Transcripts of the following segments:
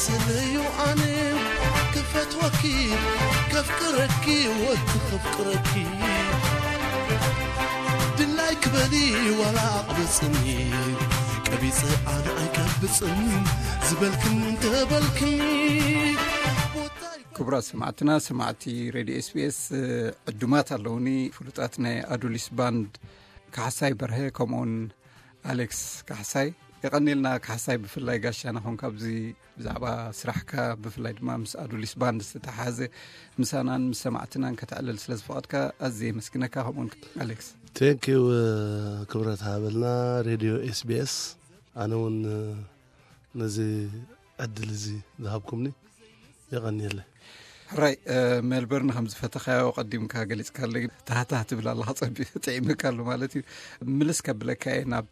ስልዩ ኣነ ክፈትወኪ ከፍቅረኪ ወቲ ከፍቅረኪ ድላይ ክበሊ ዋላ ኣቕብጽኒ ቀቢጽ ኣነ ኣይቀብጽን ዝበልክን እንተበልክኒ ክቡራት ሰማዕትና ሰማዕቲ ሬድዮ ኤስቢኤስ ዕዱማት ኣለውኒ ፍሉጣት ናይ ኣዱሊስ ባንድ ካሕሳይ በርሀ ከምኡውን ኣሌክስ ካሕሳይ የቐኒልና። ካሕሳይ ብፍላይ ጋሻና ኾንካ ኣብዚ ብዛዕባ ስራሕካ ብፍላይ ድማ ምስ ኣዱሊስ ባንድ ዝተተሓዘ ምሳናን ምስ ሰማዕትናን ከተዕልል ስለ ዝፈቐድካ ኣዝየ የመስግነካ። ከምኡውን ኣሌክስ ቴንኪው። ክብረት ሃበልና ሬድዮ ኤስቢኤስ። ኣነ እውን ነዚ ዕድል እዚ ዝሃብኩምኒ የቐንየለ። ሕራይ ሜልበርን ከም ዝፈተኻዮ ቀዲምካ ገሊፅካለ። ታህታህ ትብል ኣለካ፣ ፀቢ ጥዒምካ ኣሎ ማለት እዩ። ምልስ ከብለካ እየ ናብ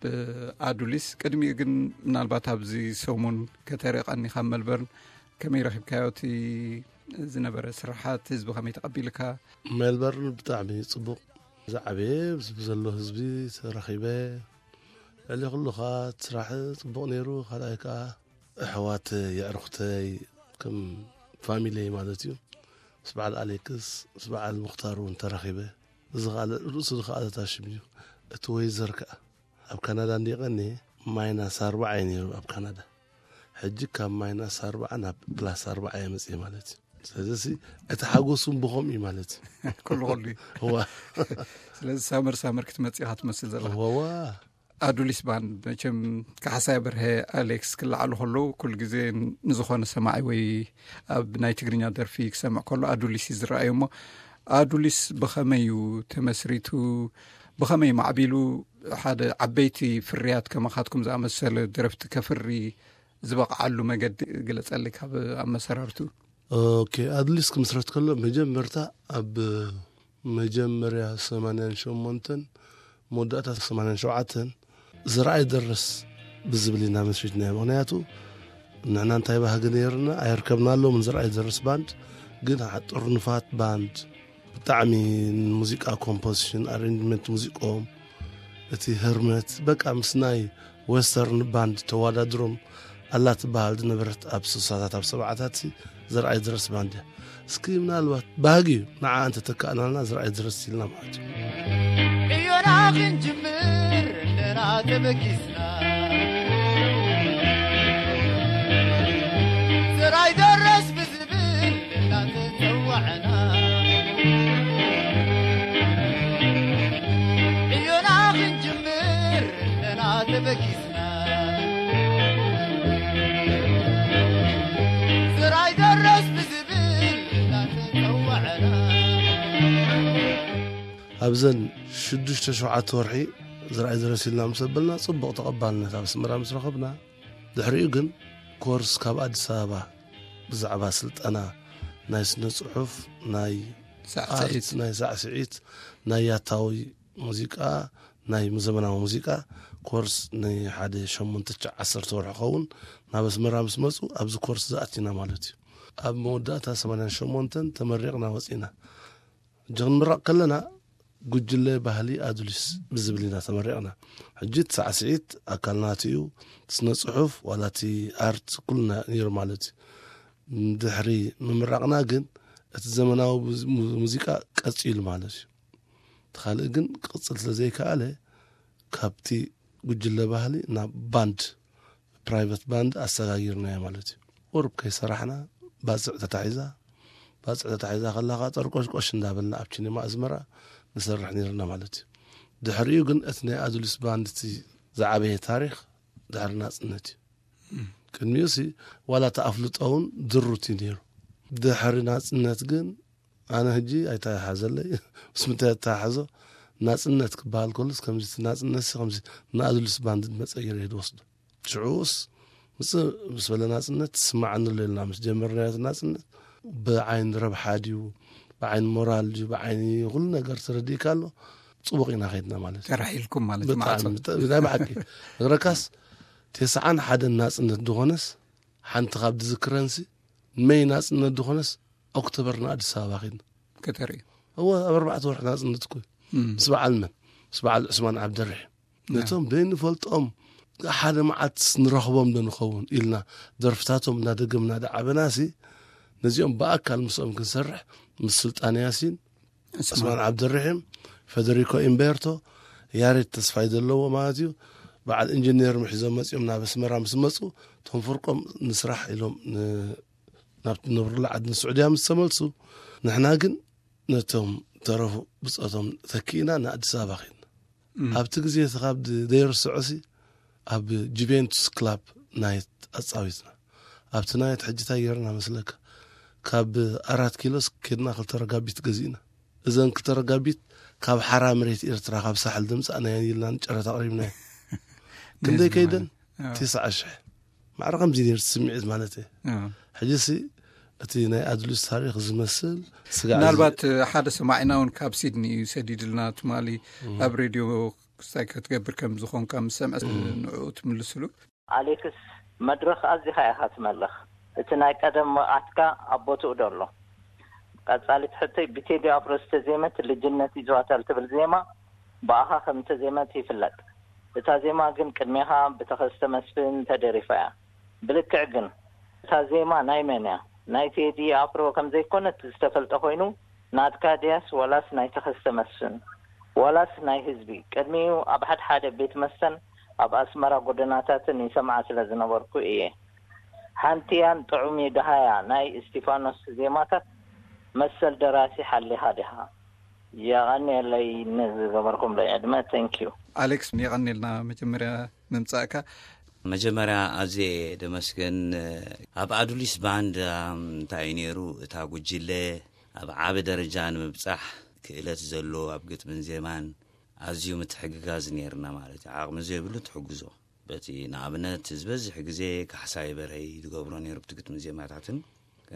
ኣዱሊስ። ቅድሚኡ ግን ምናልባት ኣብዚ ሰሙን ከተርኢ ቀኒኻ ሜልበርን ከመይ ረኺብካዮ? እቲ ዝነበረ ስራሓት ህዝቢ ከመይ ተቐቢልካ? ሜልበርን ብጣዕሚ ፅቡቕ፣ ዝዓበየ ዘሎ ህዝቢ ተረኺበ። ልዕሊ ኩሉ ከዓ እቲ ስራሕ ፅቡቕ ነይሩ። ካልኣይ ከዓ ኣሕዋት የዕርኽተይ ከም ፋሚሊይ ማለት እዩ፣ ምስ በዓል ኣሌክስ፣ ምስ በዓል ሙክታር እውን ተረኺበ። እዚ ከዓ ርእሱ ዝኸኣለታ ሽም እዩ። እቲ ወይዘር ከዓ ኣብ ካናዳ እንዲቐኒ ማይናስ ኣርባዓ እዩ ነይሩ ኣብ ካናዳ። ሕጂ ካብ ማይናስ ኣርባዓ ናብ ፕላስ ኣርባዓ እየ መፅእ ማለት እዩ። ስለዚ እቲ ሓጎስ እውን ብኸምኡ እዩ ማለት እዩ። ኩሉ ኩሉ እዩ። እዋ ስለዚ ሳመር ሳመር ክትመፅእ ኢኻ ትመስል ዘለካ። ወዋ ኣዱሊስ ባንድ መቸም ካሕሳይ በርሀ ኣሌክስ ክለዓሉ ከለዉ ኩሉ ግዜ ንዝኾነ ሰማዒ ወይ ኣብ ናይ ትግርኛ ደርፊ ክሰምዕ ከሎ ኣዱሊስ እዩ ዝረኣዩ። እሞ ኣዱሊስ ብኸመይ እዩ ተመስሪቱ? ብኸመይ ማዕቢሉ ሓደ ዓበይቲ ፍርያት ከማኻትኩም ዝኣመሰለ ደረፍቲ ከፍሪ ዝበቕዓሉ መገዲ ግለጸሊ ካብ ኣመሰራርቱ። ኦኬ፣ ኣድሊስ ክምስረት ከሎ መጀመርታ ኣብ መጀመርያ ሰማንያን ሸሞንተን መወዳእታ ሰማንያን ሸውዓተን ዝረኣይ ደረስ ብዝብል ኢና መስሪትናዮ። ምክንያቱ ንሕና እንታይ ባህጊ ነይርና ኣይርከብናሎምን። ዝረኣይ ደረስ ባንድ ግን ጥርኑፋት ባንድ፣ ብጣዕሚ ሙዚቃ ኮምፖዚሽን ኣሬንጅመንት ሙዚቆም እቲ ህርመት በቃ ምስ ናይ ዌስተርን ባንድ ተወዳድሮም ኣላ ትበሃል ዝነበረት ኣብ ስሳታት ኣብ ሰብዓታት ዘርኣይ ድረስ ባንድ እያ። እስኪ ምናልባት ባህጊ እዩ ንዓ እንተተካእናልና ዘርኣይ ድረስ ኢልና ማለት እዩ። ዕዮና ክንጅምር እንደና ተበጊስና ዘርኣይ ደረስ ብዝብል እናተጸዋዕና ዕዮና ክንጅምር እንደና ተበጊስና ዘርኣይ ደረስ ብዝብል እናተጸዋዕና ኣብዘን ሽዱሽተ ሸውዓተ ወርሒ ዝረኣይ ድረስ ኢልና ምስ ኣበልና ጽቡቕ ተቐባልነት ኣብ ኣስመራ ምስ ረኸብና፣ ድሕሪኡ ግን ኮርስ ካብ ኣዲስ ኣበባ ብዛዕባ ስልጠና ናይ ስነ ጽሑፍ፣ ናይ ሳዕስዒት። ኣርት፣ ናይ ሳዕስዒት፣ ናይ ያታዊ ሙዚቃ፣ ናይ ዘመናዊ ሙዚቃ ኮርስ ንሓደ ሸሞንተ ትሽዓተ ዓሰርተ ወርሒ ኸውን ናብ ኣስመራ ምስ መጹ ኣብዚ ኮርስ ዝኣቲና ማለት እዩ። ኣብ መወዳእታ ሰማንያን ሸሞንተን ተመሪቕና ወጺና። ሕጂ ክንምረቕ ከለና ጉጅለ ባህሊ ኣዱሊስ ብዝብል ኢና ተመሪቕና። ሕጂ እቲ ሳዕስዒት ኣካል ናቱ እዩ፣ ስነ ጽሑፍ ዋላ እቲ ኣርት ኩልና ነይሩ ማለት እዩ። ድሕሪ ምምራቕና ግን እቲ ዘመናዊ ሙዝ- ሙዚቃ ቀጺሉ ማለት እዩ። እቲ ካልእ ግን ክቕጽል ስለ ዘይከኣለ ካብቲ ጉጅለ ባህሊ ናብ ባንድ ፕራይቨት ባንድ ኣሰጋጊርናዮ ማለት እዩ። ቁሩብ ከይሰራሕና ባጽዕ ተታሒዛ፣ ባጽዕ ተታሒዛ ከላ ከዓ ጠርቆሽቆሽ እንዳበልና ኣብ ቺኒማ ኣዝመራ ንሰርሕ ነይርና ማለት እዩ። ድሕሪኡ ግን እቲ ናይ ኣዱሊስ ባንድ እቲ ዝዓበየ ታሪኽ ድሕሪ ናጽነት እዩ። ቅድሚኡ ሲ ዋላ እቲ ኣፍልጦ እውን ድሩት እዩ ነይሩ። ድሕሪ ናጽነት ግን ኣነ ሕጂ ኣይተሓሓዘለይ ምስ ምንታይ ተሓሓዞ ናጽነት ክበሃል ከሉስ ከምዚ እቲ ናጽነት ሲ ከምዚ ንኣዱሊስ ባንድ መጸ ገይረ እየ ዝወስዶ። ሽዑስ ምጽእ ምስ በለ ናጽነት ትስማዓኒ ኣሎ ኢልና ምስ ጀመርናዮ እቲ ናጽነት ብዓይኒ ረብሓ ድዩ ብዓይኒ ሞራል ድዩ ብዓይኒ ኩሉ ነገር ተረዲእካ ኣሎ ጽቡቕ ኢና ከይድና ማለት እዩ። ተራሒልኩም ማለት እዩ፣ ማዕጾ። ብጣዕሚ ብጣዕሚ ናይ ብሓቂ እግረካስ ተስዓን ሓደን ናጽነት ዝኾነስ ሓንቲ ካብ ዝዝክረንሲ መይ ናጽነት ዝኾነስ ኦክቶበር ንኣዲስ ኣበባ ከይድና ከተርእዩ። እወ ኣብ ኣርባዕተ ወርሒ ናጽነት እኮ እዩ። ምስ በዓል መን ምስ በዓል ዑስማን ዓብደርሒም ነቶም በይንፈልጦም ሓደ መዓት ንረኽቦም ዶ ንኸውን ኢልና ደርፍታቶም እናደገምና ደዓበናሲ፣ ነዚኦም ብኣካል ምስኦም ክንሰርሕ ምስ ስልጣን ያሲን፣ ዑስማን ዓብደርሒም፣ ፈደሪኮ ኢምቤርቶ፣ ያሬድ ተስፋይ ዘለዎ ማለት እዩ። በዓል ኢንጂነር ምሒዞም መጺኦም ናብ ኣስመራ ምስ መጹ፣ እቶም ፍርቆም ንስራሕ ኢሎም ን- ናብ ትነብሩሉ ዓዲ ንስዑድያ ምስ ተመልሱ፣ ንሕና ግን ነቶም ተረፉ ብጾቶም ተኪእና ንኣዲስ ኣበባ ኸድና። ኣብቲ ግዜ እቲ ካብ ደይርስዖሲ ኣብ ጁቬንቱስ ክላብ ናይት ኣጻዊትና። ኣብቲ ናይት ሕጂ እንታይ ጌርና መስለካ? ካብ ኣራት ኪሎስ ኬድና ክልተ ረጋቢት ገዚእና። እዘን ክልተ ረጋቢት ካብ ሓራ መሬት ኤርትራ ካብ ሳሕል ድምጻእናየን ኢልና ንጨረታ ኣቕሪብናዮ። ክንደይ ከይደን? ኣዎ። ትስዓ ሽሕ። ማዕረ ከምዚ ነይሩ ስምዒት ማለት እዩ። ኣዎ። ሕጂሲ እቲ ናይ ኣድሉስ ታሪኽ ዝመስል ስጋዕ እዚ ምናልባት ሓደ ሰማዒና እውን ካብ ሲድኒ እዩ ሰዲድልና ትማሊ ኣብ ሬድዮ ክስታይ ክትገብር ከም ዝኾንካ ምስ ሰምዐ ንዕኡ ትምልስሉ። ኣሌክስ፣ መድረኽ ኣዚኻ ኢኻ ትመልኽ። እቲ ናይ ቀደም መቕዓትካ ኣብ ቦትኡ ዶ ኣሎ? ቀጻሊት ሕቶይ፣ ብቴዲ ኣፍሮ ዝተዜመት ልጅነት ይዘዋታል ትብል ዜማ ብኣኻ ከም እተዜመት ይፍለጥ። እታ ዜማ ግን ቅድሜኻ ብተኸስተ መስፍን ተደሪፋ እያ። ብልክዕ ግን እታ ዜማ ናይ መን እያ? ናይ ቴዲ ኣፍሮ ከም ዘይኮነት ዝተፈልጠ ኮይኑ ናትካ ድያስ ዋላስ ናይ ተኸስተ መስፍን? ዋላስ ናይ ህዝቢ? ቅድሚኡ ኣብ ሓድሓደ ቤት መስተን ኣብ ኣስመራ ጎደናታትን ይሰምዓ ስለ ዝነበርኩ እየ። ሓንቲያን ጥዑም እዩ ደሃያ ናይ እስቲፋኖስ ዜማታት መሰል ደራሲ ሓሊኻ ዲኻ? የቐንየለይ ንዝገበርኩምለይ ዕድመ። Thank you። ኣሌክስ፣ የቐንየልና መጀመርያ ምምጻእካ። መጀመርያ ኣዝየ ደመስግን። ኣብ ኣዱሊስ ባንድ እንታይ እዩ ነይሩ? እታ ጉጅለ ኣብ ዓቢ ደረጃ ንምብጻሕ ክእለት ዘሎ ኣብ ግጥምን ዜማን ኣዝዩ ምትሕግጋዝ ነይርና ማለት እዩ። ዓቕሚ ዘይብሉ ትሕግዞ። በቲ ንኣብነት ዝበዝሕ ግዜ ካሕሳይ በርሀይ ዝገብሮ ነይሩ ብቲ ግጥምን ዜማታትን።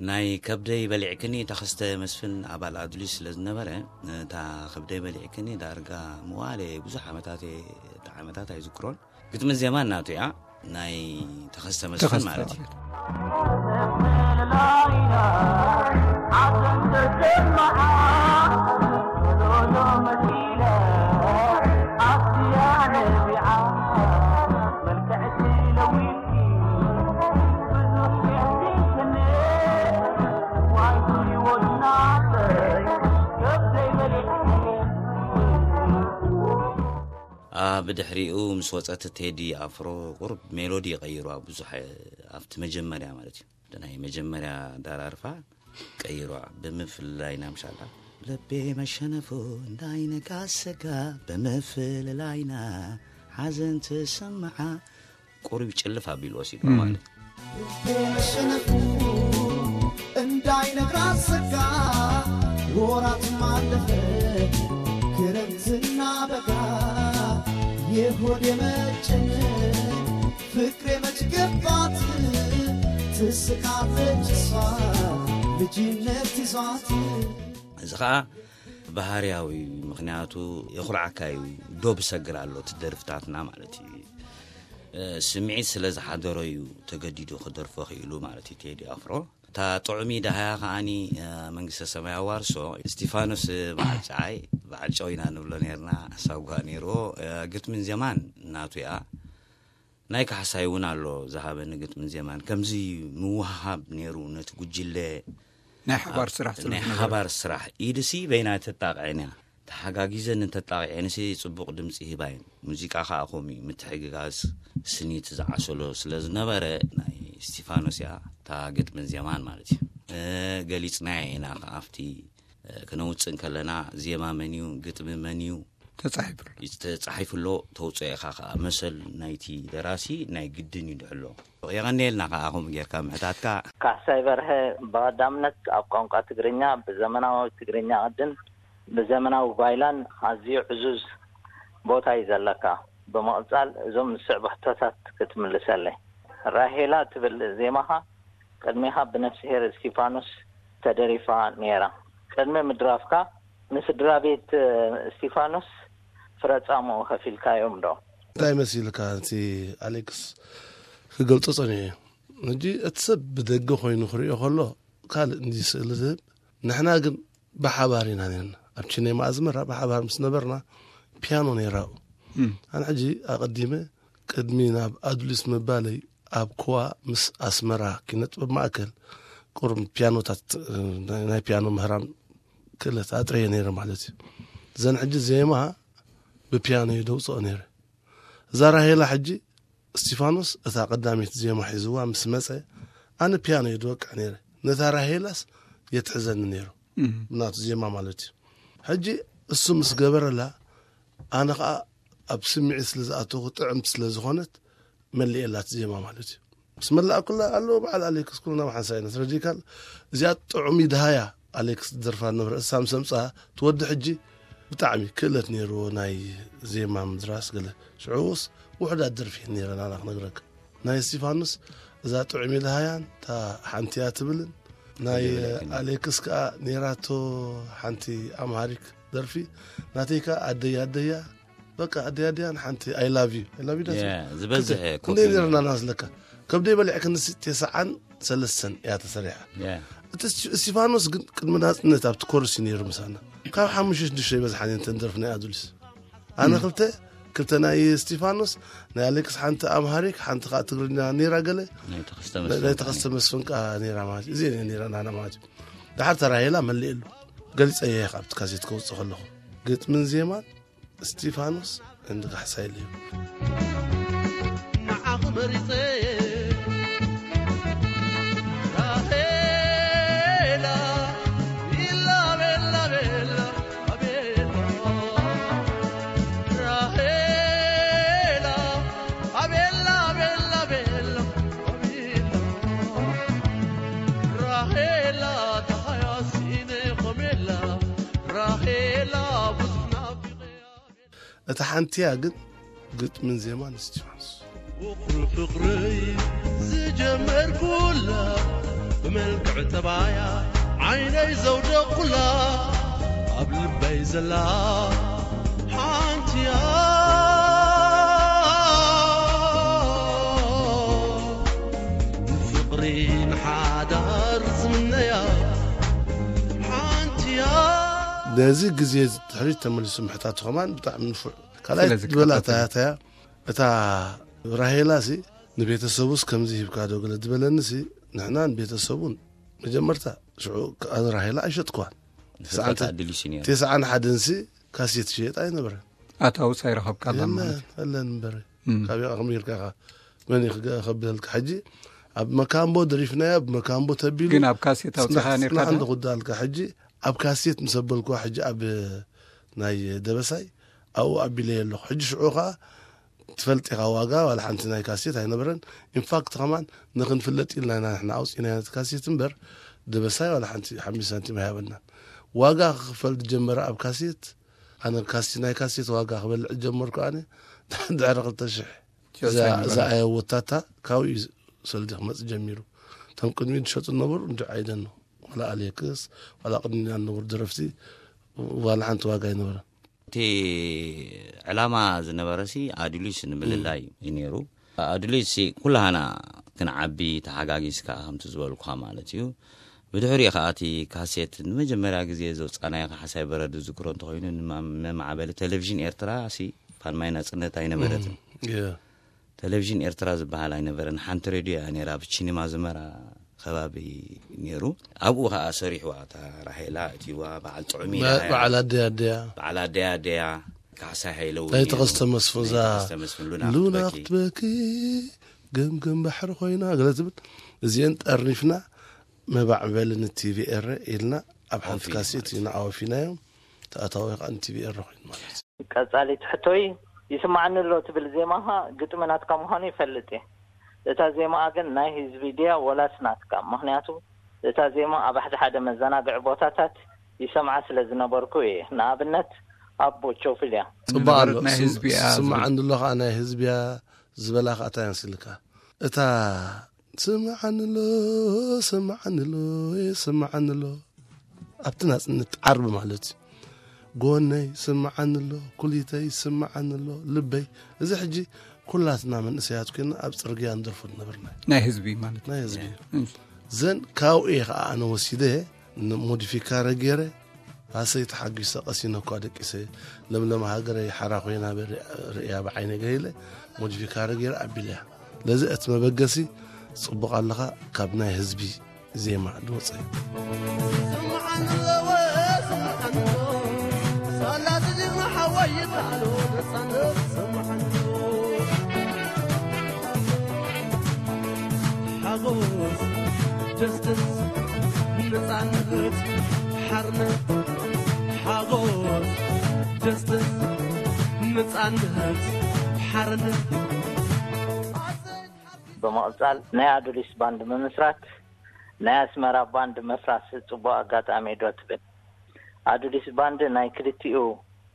ናይ ከብደይ በሊዕክኒ ተኸስተ መስፍን ኣባል ኣዱሊስ ስለ ዝነበረ፣ እታ ከብደይ በሊዕክኒ ዳርጋ ምዋለ ብዙሕ ዓመታት እየ፣ እታ ዓመታት ኣይዝክሮን። ግጥምን ዜማን ናቱ እያ፣ ናይ ተኸስተ መስፍን ተኸስተ ማለት እዩ። ብድሕሪኡ ምስ ወጸት ቴዲ ኣፍሮ ቁሩብ ሜሎዲ ቀይሩ ኣብ ብዙሕ ኣብቲ መጀመርያ ማለት እዩ። እቲ ናይ መጀመርያ ዳራርፋ ቀይሩ ብምፍልላይና ምሻላ ልቤ መሸነፉ እንዳይነጋ ሰጋ ብምፍልላይና ሓዘን ትሰምዓ ቁሩብ ጭልፍ ኣቢሉ ወሲዱ ማለት እዩ። መሸነፉ እንዳይነግራ ሰጋ ወራት ማለፈ ክረምትና በጋ የሆድ የመጨነቅ ፍቅሬ መች ገባት ትስቃለች እሷ ልጅነት ይዟት እዚ ኸዓ ባህርያዊ ምኽንያቱ የኹርዓካ እዩ። ዶብ ሰግር ኣሎ እቲ ደርፍታትና ማለት እዩ። ስምዒት ስለ ዝሓደሮ እዩ ተገዲዱ ክደርፎ ክኢሉ ማለት እዩ ቴዲ ኣፍሮ። እታ ጥዑሚ ደሃያ ከዓኒ መንግስተ ሰማይ ኣዋርሶ። እስቲፋኖስ በዓል ጨዓይ በዓል ጨው ኢና ንብሎ ነርና። ሳጓ ነይርዎ። ግጥምን ዜማን ናቱ እያ። ናይ ካሕሳይ እውን ኣሎ ዝሃበኒ ግጥምን ዜማን። ከምዚ ምውሃብ ነይሩ ነቲ ጉጅለ ናይ ሓባር ስራሕ ስለ ናይ ዝነበረ። ሓባር ስራሕ ኢድሲ በይና ተጣቕዐን እያ። ተሓጋጊዘን እንተጣቂዐንሲ ጽቡቕ ድምጺ ሂባ እየን። ሙዚቃ ከኣ ከምኡ እዩ፣ ምትሕግጋዝ ስኒት ዝዓሰሎ ስለ ዝነበረ ናይ እስቲፋኖስ እያ እታ ግጥምን ዜማን ማለት እዩ። እ፣ ገሊጽናዮ ኢና ከኣ ኣብቲ፣ እ፣ ክነውጽእ እንከለና ዜማ መን እዩ፣ ግጥሚ መን እዩ፣ ተጻሒፉ ኣሎ። ተጻሒፉ ኣሎ፣ ተውጽኦ ኢኻ ከኣ መሰል ናይቲ ደራሲ ናይ ግድን እዩ ድሕሎ። የቐንየልና ከኣ ከምኡ ጌርካ ምሕታትካ። ካሕሳይ በርሀ ብቐዳምነት ኣብ ቋንቋ ትግርኛ ብዘመናዊ ትግርኛ ቅድን ብዘመናዊ ጓይላን ኣዝዩ ዕዙዝ ቦታ እዩ ዘለካ። ብምቕጻል እዞም ዝስዕቡ ሕቶታት ክትምልሰለይ። ራሄላ ትብል ዜማኻ ቅድሜኻ ብነፍስሄር እስቲፋኖስ ተደሪፋ ነይራ። ቅድሚ ምድራፍካ ንስድራ ቤት እስቲፋኖስ ፍረ ጻምኡ ከፊልካዮም ዶ? እንታይ መሲልካ እቲ ኣሌክስ ክገልጾ ጸኒሑ እዩ። ሕጂ እቲ ሰብ ብደገ ኮይኑ ክርእዮ ከሎ ካልእ እንዲ ስእሊ ዝህብ፣ ንሕና ግን ብሓባር ኢና ነርና። ኣብ ቺኔማ ኣዝመራ ብሓባር ምስ ነበርና ፒያኖ ነይራ ኣብኡ። ኣነ ሕጂ ኣቐዲመ ቅድሚ ናብ ኣዱሊስ ምባለይ ኣብ ኮዋ ምስ ኣስመራ ኪነ ጥበብ ማእከል ቁሩብ ፒያኖታት፣ ናይ ፒያኖ ምህራም ክእለት ኣጥረየ ነይረ ማለት እዩ። እዘን ሕጂ ዜማ ብፒያኖ እየ ደውፅኦ ነይረ። እዛ ራሄላ ሕጂ እስቲፋኖስ እታ ቀዳሚት ዜማ ሒዝዋ ምስ መጸ፣ ኣነ ፒያኖ እየ ድወቅዕ ነይረ። ነታ ራሄላስ የትሕዘኒ ነይሩ፣ ብናቱ ዜማ ማለት እዩ። ሕጂ እሱ ምስ ገበረላ፣ ኣነ ኸዓ ኣብ ስምዒት ስለ ዝኣተኹ፣ ጥዕምቲ ስለ ዝኾነት፣ መሊኤላት ዜማ ማለት እዩ። ምስ መላእኩላ ኣሎ በዓል ኣሌክስ፣ ኩሉ ናብ ሓንሳይ ነትረዲካል። እዚኣ ጥዑም ይድሃያ ኣሌክስ ዝደርፋ ነበረ። እሳ ምስ ኣምጽኣ ትወዲ ሕጂ ብጣዕሚ ክእለት ነይርዎ ናይ ዜማ ምድራስ ገለ። ሽዑስ ውሑዳት ደርፊ ነይረን ኣና ክነግረካ። ናይ እስቲፋኖስ እዛ ጥዑም ይድሃያን እታ ሓንቲ እያ ትብልን ናይ ኣሌክስ ከኣ ነይራቶ ሓንቲ ኣምሃሪክ ደርፊ። ናተይ ከኣ ኣደያ ኣደያ፣ በቃ ኣደያ ኣደያን ሓንቲ I love you፣ I love you ዳስ ዝበዝሐ ኮፒ እንደ ነርና ናስለካ። ከብደይ በሊዕ ክንሲ ቴስዓን ሰለስተን እያ ተሰሪሓ። እቲ እስቲ- እስቲፋኖስ ግን ቅድሚ ናጽነት ኣብቲ ኮርስ እዩ ነይሩ ምሳና። ካብ ሓሙሽተ ሽዱሽተ ይበዝሓን እየን ተን ደርፊ ናይ ኣዱሊስ። ኣነ ክልተ ክልተ ናይ እስቲፋኖስ፣ ናይ ኣሌክስ ሓንቲ ኣምሃሪክ፣ ሓንቲ ከዓ ትግርኛ ነይራ ገለ። ናይ ተኸስተ ናይ መስፍን ናይ ተኸስተ መስፍን ከዓ ነይራ ማለት እዩ። እዚአን እየን ነይራ ናና ማለት እዩ። ድሓር ተራሄላ መሊእሉ ገሊፀ እየ ካብቲ ካሴት ከውፅእ ከለኹ፣ ግጥምን ዜማን እስቲፋኖስ እንዲ ካሕሳይ ልዩ። ንዓኹ መሪጸ ራሄላ፣ ቤላ፣ ቤላ፣ ቤላ፣ ኣቤላ። ራሄላ፣ ኣቤላ፣ ቤላ፣ ቤላ፣ ኣቤላ። ራሄላ፣ ተሃያሲነ ኸሜላ፣ ራሄላ፣ ብዙሕ ናፊቐያ። እታ ሓንቲያ ግን ግጥምን ዜማን እስቲፋኖስ። ውቕሩ ፍቕሪ ዝጀመርኩላ፣ ብመልክዕ ጠባያ ዓይነይ ዘውደቕኩላ፣ ኣብ ልበይ ዘላ ሓንቲያ፣ ንፍቕሪ ንሓዳር ዝምነያ ሓንቲያ። ነዚ ግዜ ድሕሪት ተመሊሱ ምሕታቱ ከማን ብጣዕሚ ንፉዕ። ካልኣይ ስለዚ ዝበላ ክታተል። ታያታያ እታ ራሄላ ሲ ንቤተሰቡስ ከምዚ ሂብካ ዶ ገለ ዝበለኒ ሲ፣ ንሕና ንቤተሰቡን መጀመርታ ሽዑ ከኣ ራሄላ ኣይሸጥኳን። ዝፈልጣ ድልዩ ሲ ነይሩ። ተስዓን ሓደን ሲ ካሴት ሽየጥ ኣይነበረን። ኣታውስ ኣይረኸብካላ የለን፣ ማለት። የለን እምበር። እም። ካበይ ኢኻ ከመይ ጌርካ ኢኻ? መን እዩ ክገ-፣ ከብለልካ? ሕጂ ኣብ መካምቦ ደሪፍናያ፣ ኣብ መካምቦ ተቢሉ ግን ኣብ ካሴት ኣውጺኻ ጽናሕ፣ ኔርካ ጽናሕ ዶ? እንዶ ክወዳልካ። ሕጂ ኣብ ካሴት ምስ ኣበልኩዋ፣ ሕጂ ኣብ ናይ ደበሳይ ኣብኡ ኣቢለየ ኣለኹ። ሕጂ ሽዑ ኸኣ ትፈልጥ ኢኻ ዋጋ ዋላ ሓንቲ ናይ ካሴት ኣይነበረን። ኢንፋክት ኸማን ንኽንፍለጥ ኢልና ኢና ንሕና ኣውጺእናዮ ነቲ ካሴት እምበር፣ ደበሳይ ዋላ ሓንቲ ሓምሽተ ሳንቲም ኣይሃበናን። ዋጋ ክኽፈል ዝጀመረ ኣብ ካሴት፣ ኣነ ካሴት፣ ናይ ካሴት ዋጋ ክበልዕ ዝጀመርኩ ኣነ ድሕሪ ክልተ ሽሕ። እዛ፣ እዛ ኣየወታታ ካብኡ እዩ ሰልዲ ክመጽእ ጀሚሩ። እቶም ቅድሚኡ ዝሸጡ ዝነበሩ እንዲ ዓይደን ነው። ዋላ ኣሌክስ፣ ዋላ ቅድሚና ዝነበሩ ደረፍቲ፣ ዋላ ሓንቲ ዋጋ ኣይነበረን። እቲ ዕላማ ዝነበረ ሲ ኣዱሊስ ንምልላይ እዩ ነይሩ። ኣዱሊስ ሲ ኩላህና ክንዓቢ ተሓጋጊዝካ ከምቲ ዝበልኩኻ ማለት እዩ። ብድሕሪኡ ከዓ እቲ ካሴት ንመጀመርያ ግዜ ዘውፃእናዮ ካሕሳይ በረድ ዝዝክሮ እንተኾይኑ፣ ንማ-፣ መማዕበሊ ቴሌቪዥን ኤርትራ ሲ ፋልማይ ናጽነት ኣይነበረትን። እም፣ የ። ቴሌቪዥን ኤርትራ ዝበሃል ኣይነበረን። ሓንቲ ሬድዮ እያ ነይራ፣ ኣብ ቺኒማ ዝመራ ከባቢ ነይሩ። ኣብኡ ከዓ ሰሪሕዋ፣ እታ ራሄላ እትይዋ፣ በዓል ጥዑም በ-፣ ኢላ፣ በዓል ኣደያ ኣደያ። በዓል ኣደያ ኣደያ፣ ካሕሳይ ሃይለዊ ናይ ነይሩ። ተኸስተ መስፍን፣ ናይ እዛ ተኸስተ መስፍን፣ ሉና ሉና ክትበኪ። ክትበኪ፣ ገምገም ባሕሪ ኮይና፣ ገለ ትብል። እዚአን ጠርኒፍና፣ መባዕበሊ ን ቲ ቪ ኤረ ኢልና ኣብ ሓንቲ ኣውፊና ካሴት ማለት ኢና ኣወፊናዮም። ተኣታዊ ከዓ ን ቲ ቪ ኤረ ኮይኑ ማለት እዩ። ቀጻሊት ሕቶይ፣ ይስማዓኒ ኣሎ ትብል ዜማኻ ግጥሚ ናትካ ምዃኑ ይፈልጥ እየ። እታ ዜማኣ ግን ናይ ህዝቢ ድያ ወላስ ናትካ? ምኽንያቱ እታ ዜማ ኣብ ሓደ ሓደ መዘናግዒ ቦታታት ይሰምዓ ስለ ዝነበርኩ እየ። ንኣብነት ኣብ ቦቾፍልያ። ጽቡቕ ኣሎ። ንበረት ናይ ስም-፣ ህዝቢ እያ ዝብል። ስምዓኒ ኣሎ ከዓ ናይ ህዝቢ እያ ዝበላ ከዓ እንታይ ኣንስልካ? እታ ስምዓኒ ኣሎ፣ ስምዓኒ ኣሎ፣ ስምዓኒ ኣሎ። ኣብቲ ናጽነት ዓርቢ ማለት እዩ። ጎነይ ስምዓኒ ኣሎ፣ ኩሊተይ ስምዓኒ ኣሎ፣ ልበይ። እዚ ሕጂ ኩላትና መንእሰያት ኮይና ኣብ ጽርግያ ንደርፎ ዝነበርና እዩ። ናይ ህዝቢ ማለት እዩ። ናይ ህዝቢ እዩ። እሺ። ዘን ካብኡ እየ ኸዓ ኣነ ወሲደ ን-፣ ሞዲፊካ ረጌረ ኣሰይ ተሓጒሰ ቀሲነ እኳ ደቂሰ፣ ለምለም ሃገረይ ሓራ ኮይና በሪ-፣ ርእያ ብዓይነ ገይለ፣ ሞዲፊካሪ ገይረ ኣቢለያ። ለዚ እቲ መበገሲ ጽቡቕ ኣለኻ ካብ ናይ ህዝቢ ዜማ ዝወጸ እዩ። ሓጎስ፣ ጀስትስ፣ ነጻነት፣ ሓርነት። ሓጎስ፣ ጀስትስ፣ ነጻነት፣ ሓርነት። ብምቕጻል ናይ ኣዱሊስ ባንድ ምምስራት ናይ ኣስመራ ባንድ ምፍራስ ጽቡቕ ኣጋጣሚ ዶ ትብል? ኣዱሊስ ባንድ ናይ ክልቲኡ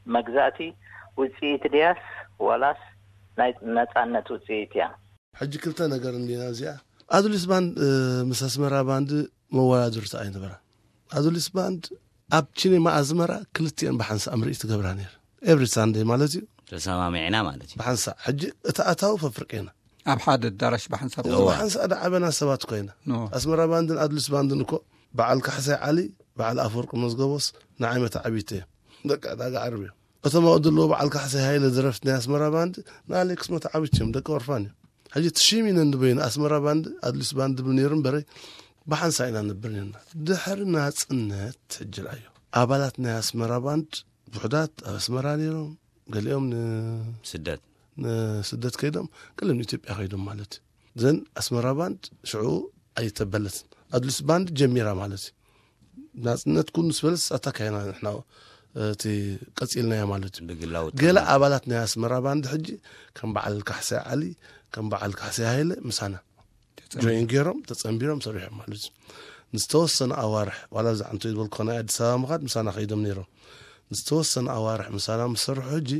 መግዛእቲ ውጽኢት ድያስ ዋላስ ናይ ነጻነት ውጽኢት እያ? ሕጂ ክልተ ነገር እንዲና እዚኣ። ኣዱሊስ ባንድ፣ እ፣ ምስ ኣስመራ ባንድ መወዳድርቲ ኣይነበራ። ኣዱሊስ ባንድ ኣብ ቺኔማ ኣዝመራ ክልቲኤን ብሓንሳእ ምርኢት ትገብራ ነይር። ኤቭሪ ሳንደይ ማለት እዩ። ተሰማሚዕና ማለት እዩ። ብሓንሳእ። ሕጂ እቲ ኣታዊ ፈፍርቄና። ኣብ ሓደ ኣዳራሽ ብሓንሳብ እዎ፣ እዎ። ብሓንሳእ ደዓበና ሰባት ኮይና። ኖ። ኣስመራ ባንድን ኣዱሊስ ባንድን እኮ በዓል ካሕሳይ ዓሊ፣ በዓል ኣፈወርቂ መዝገቦስ ንዓይ መተዓቢተ እዮም። በቃ ዳጋ ዓርብ እዮም። እቶም ኣብኡ ዘለዉ በዓል ካሕሳይ ሃይለ ደረፍቲ ናይ ኣስመራ ባንድ ንኣሌክስ መተዓቢት እዮም፣ ደቂ ኦርፋን እዮም። ሕጂ ትሽም ኢነ እንድበይኑ ኣስመራ ባንድ ኣዱሊስ ባንድ ድብል ነይሩ እምበረይ ብሓንሳእ ኢና ንብር ነርና። ድሕሪ ናጽነት ሕጂ ርኣዮ። ኣባላት ናይ ኣስመራ ባንድ ውሑዳት ኣብ ኣስመራ ነይሮም፣ ገሊኦም ን-፣ ስደት። ንስደት ከይዶም፣ ገሊኦም ንኢትዮጵያ ከይዶም ማለት እዩ። ዘን ኣስመራ ባንድ ሽዑ ኣይተበለትን። ኣዱሊስ ባንድ ጀሚራ ማለት እዩ። ናጽነት ኩን ምስ በለስ ኣታ ካይና ንሕና እቲ ቀጺልናዮ ማለት እዩ። ብግላዊ ገለ ጥቕሚ። ኣባላት ናይ ኣስመራ ባንድ ሕጂ ከም በዓል ካሕሳይ ዓሊ፣ ከም በዓል ካሕሳይ ሃይለ ምሳና ተጸንቢሮም። ጆይን ገይሮም፣ ተጸንቢሮም ሰሪሖም ማለት እዩ። ንዝተወሰነ ኣዋርሕ፣ ዋላ ብዛዕባ እንተ ዝበልኩ ናይ ኣዲስ ኣበባ ምኻድ ምሳና ከይዶም ነይሮም። ንዝተወሰነ ኣዋርሕ ምሳና ምስ ሰርሑ ሕጂ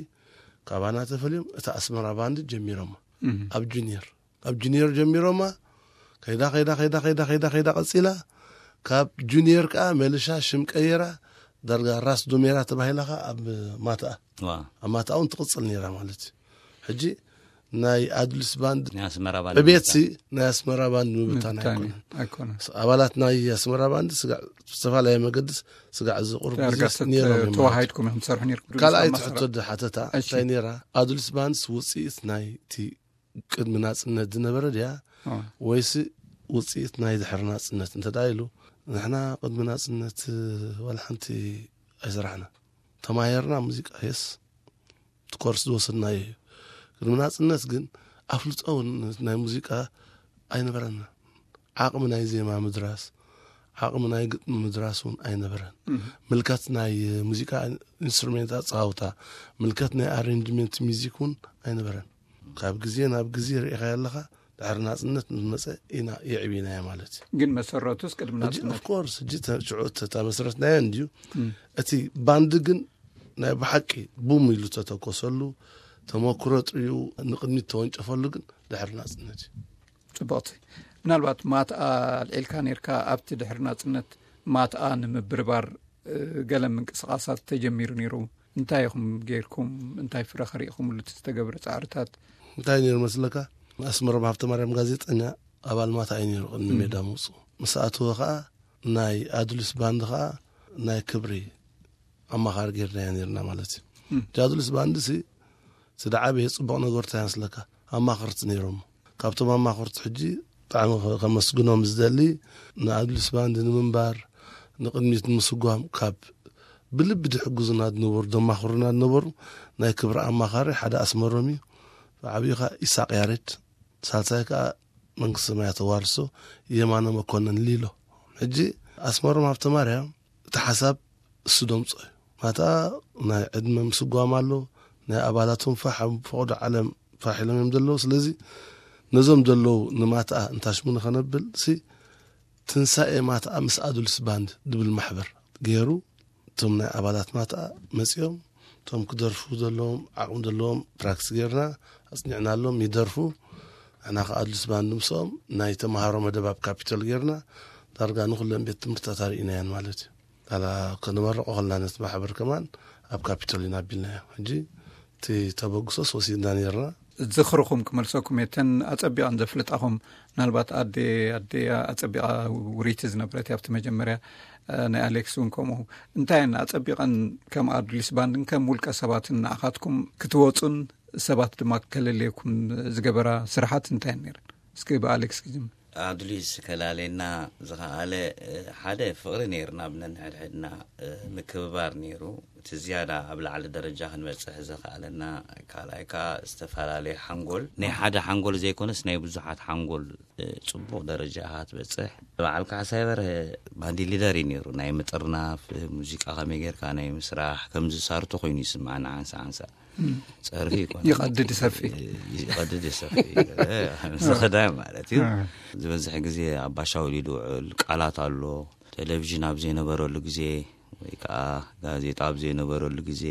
ካባና ተፈልዮም እታ ኣስመራ ባንድ ጀሚሮማ። እም። ኣብ ጁኒየር፣ ኣብ ጁኒየር ጀሚሮማ። ከይዳ፣ ከይዳ፣ ከይዳ፣ ከይዳ፣ ከይዳ፣ ከይዳ ቀጺላ። ካብ ጁኒየር ከኣ መልሻ ሽም ቀይራ፣ ዳርጋ ራስ ዱሜራ ተባሂላ ከኣ ኣብ ማትኣ። ዋ። ኣብ ማትኣ እውን ትቕጽል ነይራ ማለት እዩ። ሕጂ ናይ ኣዱሊስ ባንድ ናይ ኣስመራ ባንድ ዕቤትሲ ምብታን። ናይ ኣስመራ ባንድ ምብታን ምብታን እዩ። ኣይኮነን። ኣይኮነን። ስ-፣ ኣባላት ናይ ኣስመራ ባንድ ስጋዕ፣ ብዝተፈላለየ መገድስ ስጋዕ ዝቕርቡ ዳርጋ ግዜስ ተት-፣ ነይሮም እዮም ማለት። ተዋሃሂድኩም ኢኹም ትሰርሑ ነይርኩም። ካልኣይቲ ኣስመራ። ሕቶ ድ-፣ ሓተታ እሺ። እንታይ ነይራ? ኣዱሊስ ባንድስ ውጽኢት ናይቲ ቅድሚ ናጽነት ዝነበረ ድያ? አ። ወይስ ውጽኢት ናይ ድሕሪ ናጽነት? እንተ ደኣ ኢሉ፣ ንሕና ቅድሚ ናጽነት ዋላ ሓንቲ ኣይሰራሕና። ተማሂርና ሙዚቃ፣ የስ፣ እቲ ኮርስ ዝወሰድናዮ እዩ። ቅድሚ ናጽነት ግን ኣፍልጦ እውን ናይ ሙዚቃ ኣይነበረና። ዓቕሚ ናይ ዜማ ምድራስ፣ ዓቕሚ ናይ ግጥሚ ምድራስ እውን ኣይነበረን። እም። ምልከት ናይ ሙዚቃ ኢንስትሩሜንት ኣጻውታ፣ ምልከት ናይ ኣሬንጅመንት ሚዚክ እውን ኣይነበረን። ካብ ግዜ ናብ ግዜ ርኢኻዮ ኣለኻ፣ ድሕሪ ናጽነት ምስ መጸ ኢና የዕቢናዮ ማለት እዩ። ግን መሰረቱስ ቅድሚ ሕጂ ናጽነት ኦፍ ኮርስ፣ ሕጂ ተ-፣ ሽዑ ተ-፣ ተመስረትናዮ እንድዩ። እም። እቲ ባንድ ግን ናይ ብሓቂ ቡም ኢሉ ተተኮሰሉ፣ ተመክሮ ጥሪኡ ንቕድሚት ተወንጨፈሉ ግን ድሕሪ ናጽነት እዩ። ጽቡቕቲ። ምናልባት ማትኣ ኣልዒልካ ነርካ፣ ኣብቲ ድሕሪ ናጽነት ማትኣ ንምብርባር፣ እ፣ ገለ ምንቅስቓሳት ተጀሚሩ ነይሩ። እንታይ ኢኹም ጌርኩም? እንታይ ፍረ ኸሪእኹምሉ እቲ ዝተገብረ ጻዕርታት? እንታይ ነይሩ መስለካ? ኣስመሮም ሃብተማርያም ጋዜጠኛ ኣባል ማትኣ እዩ ነይሩ ቅድሚ እም። ሜዳ ምውጽኡ። ምስ ኣተወ ኸኣ ናይ ኣዱሊስ ባንድ ኸኣ ናይ ክብሪ ኣማኻሪ ጌርናዮ ነይርና ማለት እዩ። እም። እቲ ኣዱሊስ ባንድ ሲ፣ እቲ ደዓበየ ጽቡቕ ነገር እንታይ መስለካ? ኣማኸርቲ ነይሮም። ካብቶም ኣማኸርቲ ሕጂ ብጣዕሚ ከ-፣ ከመስግኖም ዝደሊ ንኣዱሊስ ባንድ ንምንባር፣ ንቕድሚት ንምስጓም ካብ ብልቢ ድሕግዙና ዝነበሩ፣ ደማኽሩና ዝነበሩ ናይ ክብሪ ኣማኻሪ ሓደ ኣስመሮም እዩ። ብዓብዩ ኸኣ ኢሳቕ ያሬድ፣ ሳልሳይ ከኣ መንግስተ ሰማያት ተዋርሶ የማነ መኮነን ሊሎ። ሕጂ ኣስመሮም ሃብተማርያም እቲ ሓሳብ እሱ ደምጾ እዩ። ማታ ናይ ዕድመ ምስጓም ኣሎ፣ ናይ ኣባላቶም ፋሕ ኣብ ፈቐዶ ዓለም ፋሕ ኢሎም እዮም ዘለዉ። ስለዚ ነዞም ዘለዉ ንማትኣ እንታሽሙ ንኸነብል ሲ ትንሳኤ ማትኣ ምስ ኣዱልስ ባንድ ድብል ማሕበር ገይሩ እቶም ናይ ኣባላት ማትኣ መጺኦም እቶም ክደርፉ ዘለዎም ዓቕሚ ዘለዎም ፕራክቲስ ጌርና ኣጽኒዕናሎም ይደርፉ። ንሕና ከኣ ኣዱልስ ባንድ ምስኦም ናይ ተምሃሮ መደብ ኣብ ካፒቶል ጌርና ዳርጋ ንኹለን ቤት ትምህርትታት ኣርኢናየን ማለት እዩ። ኣላ ከነመርቆ ከለና ነቲ ማሕበር ከማን ኣብ ካፒቶል ኢና ኣቢልናዮ። ሕጂ እቲ ተበግሶስ ወሲድና ኔርና። ዝኽርኹም ክመልሰኩም እየ። እተን ኣጸቢቐን ዘፍልጣኹም ምናልባት ኣደ ኣደ ኣጸቢቓ ውርይቲ ዝነበረት ኣብቲ መጀመርያ፣ እ፣ ናይ ኣሌክስ እውን ከምኡ። እንታይ እየን ኣጸቢቐን ከም ኣዱሊስ ባንድን ከም ውልቀ ሰባትን ንዓኻትኩም ክትወጹን ሰባት ድማ ከለልየኩም ዝገበራ ስራሓት እንታይ እየን ነይረን? እስኪ ብኣሌክስ ክጅምር። ኣዱሊስ ከላለየና ዝኸኣለ፣ እ፣ ሓደ ፍቕሪ ነይርና ብነንሕድሕድና፣ እ፣ ምክብባር ነይሩ። እቲ ዝያዳ ኣብ ላዕሊ ደረጃ ክንበጽሕ ዘኸኣለና፣ ካልኣይ ከኣ ዝተፈላለየ ሓንጎል፣ ናይ ሓደ ሓንጎል ዘይኮነስ ናይ ብዙሓት ሓንጎል፣ እ፣ ጽቡቕ ደረጃ ኢኻ ትበጽሕ። በዓል ካሕሳይ በርሀ ባንዲ ሊደር እዩ ነይሩ። ናይ ምጥርናፍ፣ እ፣ ሙዚቃ ከመይ ጌርካ ናይ ምስራሕ፣ ከምዚ ሳርቶ ኮይኑ ይስምዓና ሓንሳ ሓንሳ። እም። ጸርፊ ይኮን። ይቐድድ ይሰፊ። እ፣ ይቐድድ ይሰፊ። እ፣ ዝኸዳይ ማለት እዩ። እ። ዝበዝሕ ግዜ ኣብ ባሻ ወሊዱ ውዕል ቃላት ኣሎ። ቴሌቪዥን ኣብ ዘይነበረሉ ግዜ ወይ ከኣ ጋዜጣ ኣብ ዘይነበረሉ ግዜ፣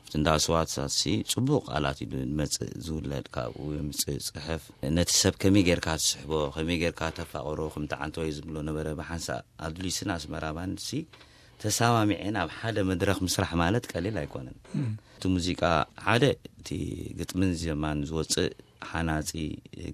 ኣብቲ እንዳ ስዋትሳትሲ ጽቡቕ ቃላት እዩ ዝመጽእ፣ ዝውለድ ካብኡ የምጽእ፣ ጽሕፍ። ነቲ ሰብ ከመይ ጌርካ ትስሕቦ፣ ከመይ ጌርካ ተፋቕሮ፣ ከምቲ ዓንተወይ ዝብሎ ነበረ። ብሓንሳእ ኣድሊስን ኣስመራ ባንድሲ ተሰማሚዐን ኣብ ሓደ መድረኽ ምስራሕ ማለት ቀሊል ኣይኮነን። እም። እቲ ሙዚቃ ሓደ እቲ ግጥምን ዜማን ዝወጽእ ሓናጺ፣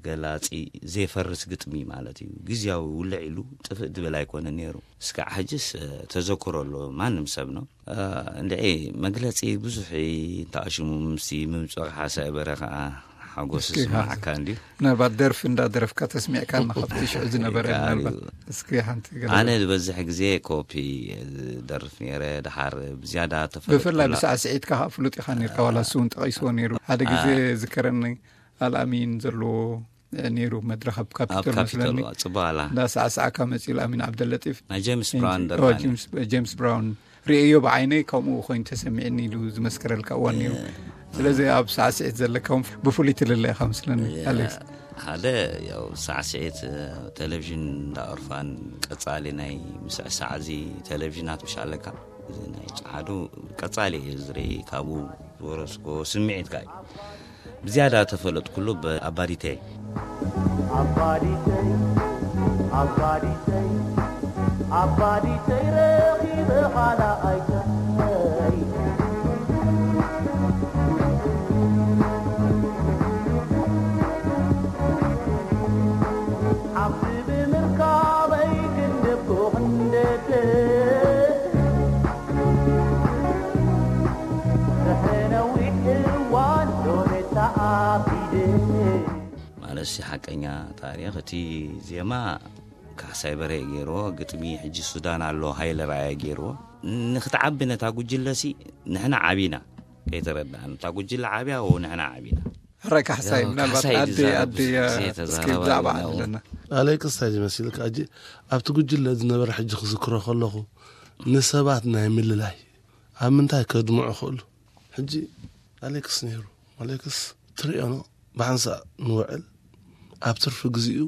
ገላጺ፣ ዘይፈርስ ግጥሚ ማለት እዩ። ግዝያዊ ውልዕ ኢሉ ጥፍእ ድብል ኣይኮነን ነይሩ። እስካዕ ሕጅስ፣ እ፣ ተዘክሮ ኣሎ ማንም ሰብ ነው። እ፣ እንድዒ መግለጺ ብዙሕ እዩ። እንተኣሽሙ ምስቲ ምምጽኦ ሓሳይ በረ ኸዓ ሓጎስ እስኪ ይስምዓካ እንድዩ። ምናልባት ደርፊ እንዳደረፍካ ተስሚዕካና ካብቲ ሽዑ ዝነበረ ይከኣል ምናልባት እዩ። እስኪ ሓንቲ ገለ ኣነ ዝበዝሕ ግዜ ኮፒ ዝደርፍ ነይረ። ድሓር ብዝያዳ ተፈለጥኩላ ብፍላይ ብሳዕስዒትካ ከዓ ፍሉጥ ኢኻ ነርካ፣ ዋላ እሱ እውን ጠቒስዎ ነይሩ። ሓደ ግዜ አ- ዝከረኒ ኣልኣሚን ዘለዎ ነይሩ መድረኽ ኣብ ኣብ ካፒቶል ካፒቶል መስለኒ። ጽቡቕ ኣላ። እንዳ ሳዕሳዕካ መጺኡ ኣልኣሚን ዓብደለጢፍ። ናይ ጄምስ ብራውን ኦ፣ ደርፋ ነይሩ። ጄምስ፣ ጄምስ ብራውን ርእዮ ብዓይነይ ከምኡ ኮይኑ ተሰሚዕኒ ኢሉ ዝመስከረልካ እዋን ነይሩ። እ። ስለዚ ኣብ ሳዕስዒት ዘለካ እውን ብፍሉይ ትልለ ኢኻ መስለኒ፣ እ፣ ኣሌክስ። ሓደ ያው ሳዕስዒት፣ እ፣ ቴሌቪዥን እንዳ ኦርፋን ቀጻሊ ናይ ምስዕሳዕ እዚ ቴሌቪዥናት ምሽ ኣለካ። እዚ ናይ ጸዓዱ ቀጻሊ እየ ዝርኢ፣ ካብኡ ዝወረስኮ ስምዒት ከኣ እዩ። ብዝያዳ ተፈለጥኩሉ ብኣባዲተይ። ኣባዲተይ፣ ኣባዲተይ፣ ኣባዲተይ ረኺበ ኻልኣይተይ። ሓፍቲ ብምርካበይ ክንደብኩ ክንደደ። ድሕሪ ነዊሕ እዋን ሎሚ ተኣኪደ። ማለት ሲ ሓቀኛ ታሪኽ፣ እቲ ዜማ ካሕሳይ በርሀ ገይርዎ፣ ግጥሚ ሕጂ ሱዳን ኣሎ ሃይለ ራእያ ገይርዎ። ንክትዓቢ ነታ ጉጅለ ሲ ንሕና ዓቢና፣ ከይተረዳእና። እታ ጉጅለ ዓብያ፣ ወ ንሕና ዓቢና። ሕራይ ካሕሳይ፣ ያው ምናልባት ካሕሳይ ኣደ፣ ድዛረብ ኣደ፣ ብዙሕ ግዜ እስኪ ተዛራባሪ ብዛዕባ ኢና። ኣለና። ኣሌክስ እንታይ ዝመስልካ? ሕጂ ኣብቲ ጉጅለ ዝነበረ ሕጂ ክዝክሮ ከለኹ ንሰባት ናይ ምልላይ ኣብ ምንታይ ከድምዑ ክእሉ? ሕጂ ኣሌክስ ነይሩ። ኣሌክስ ትርእዮ ኖ፣ ብሓንሳእ ንውዕል ኣብ ትርፊ ግዜኡ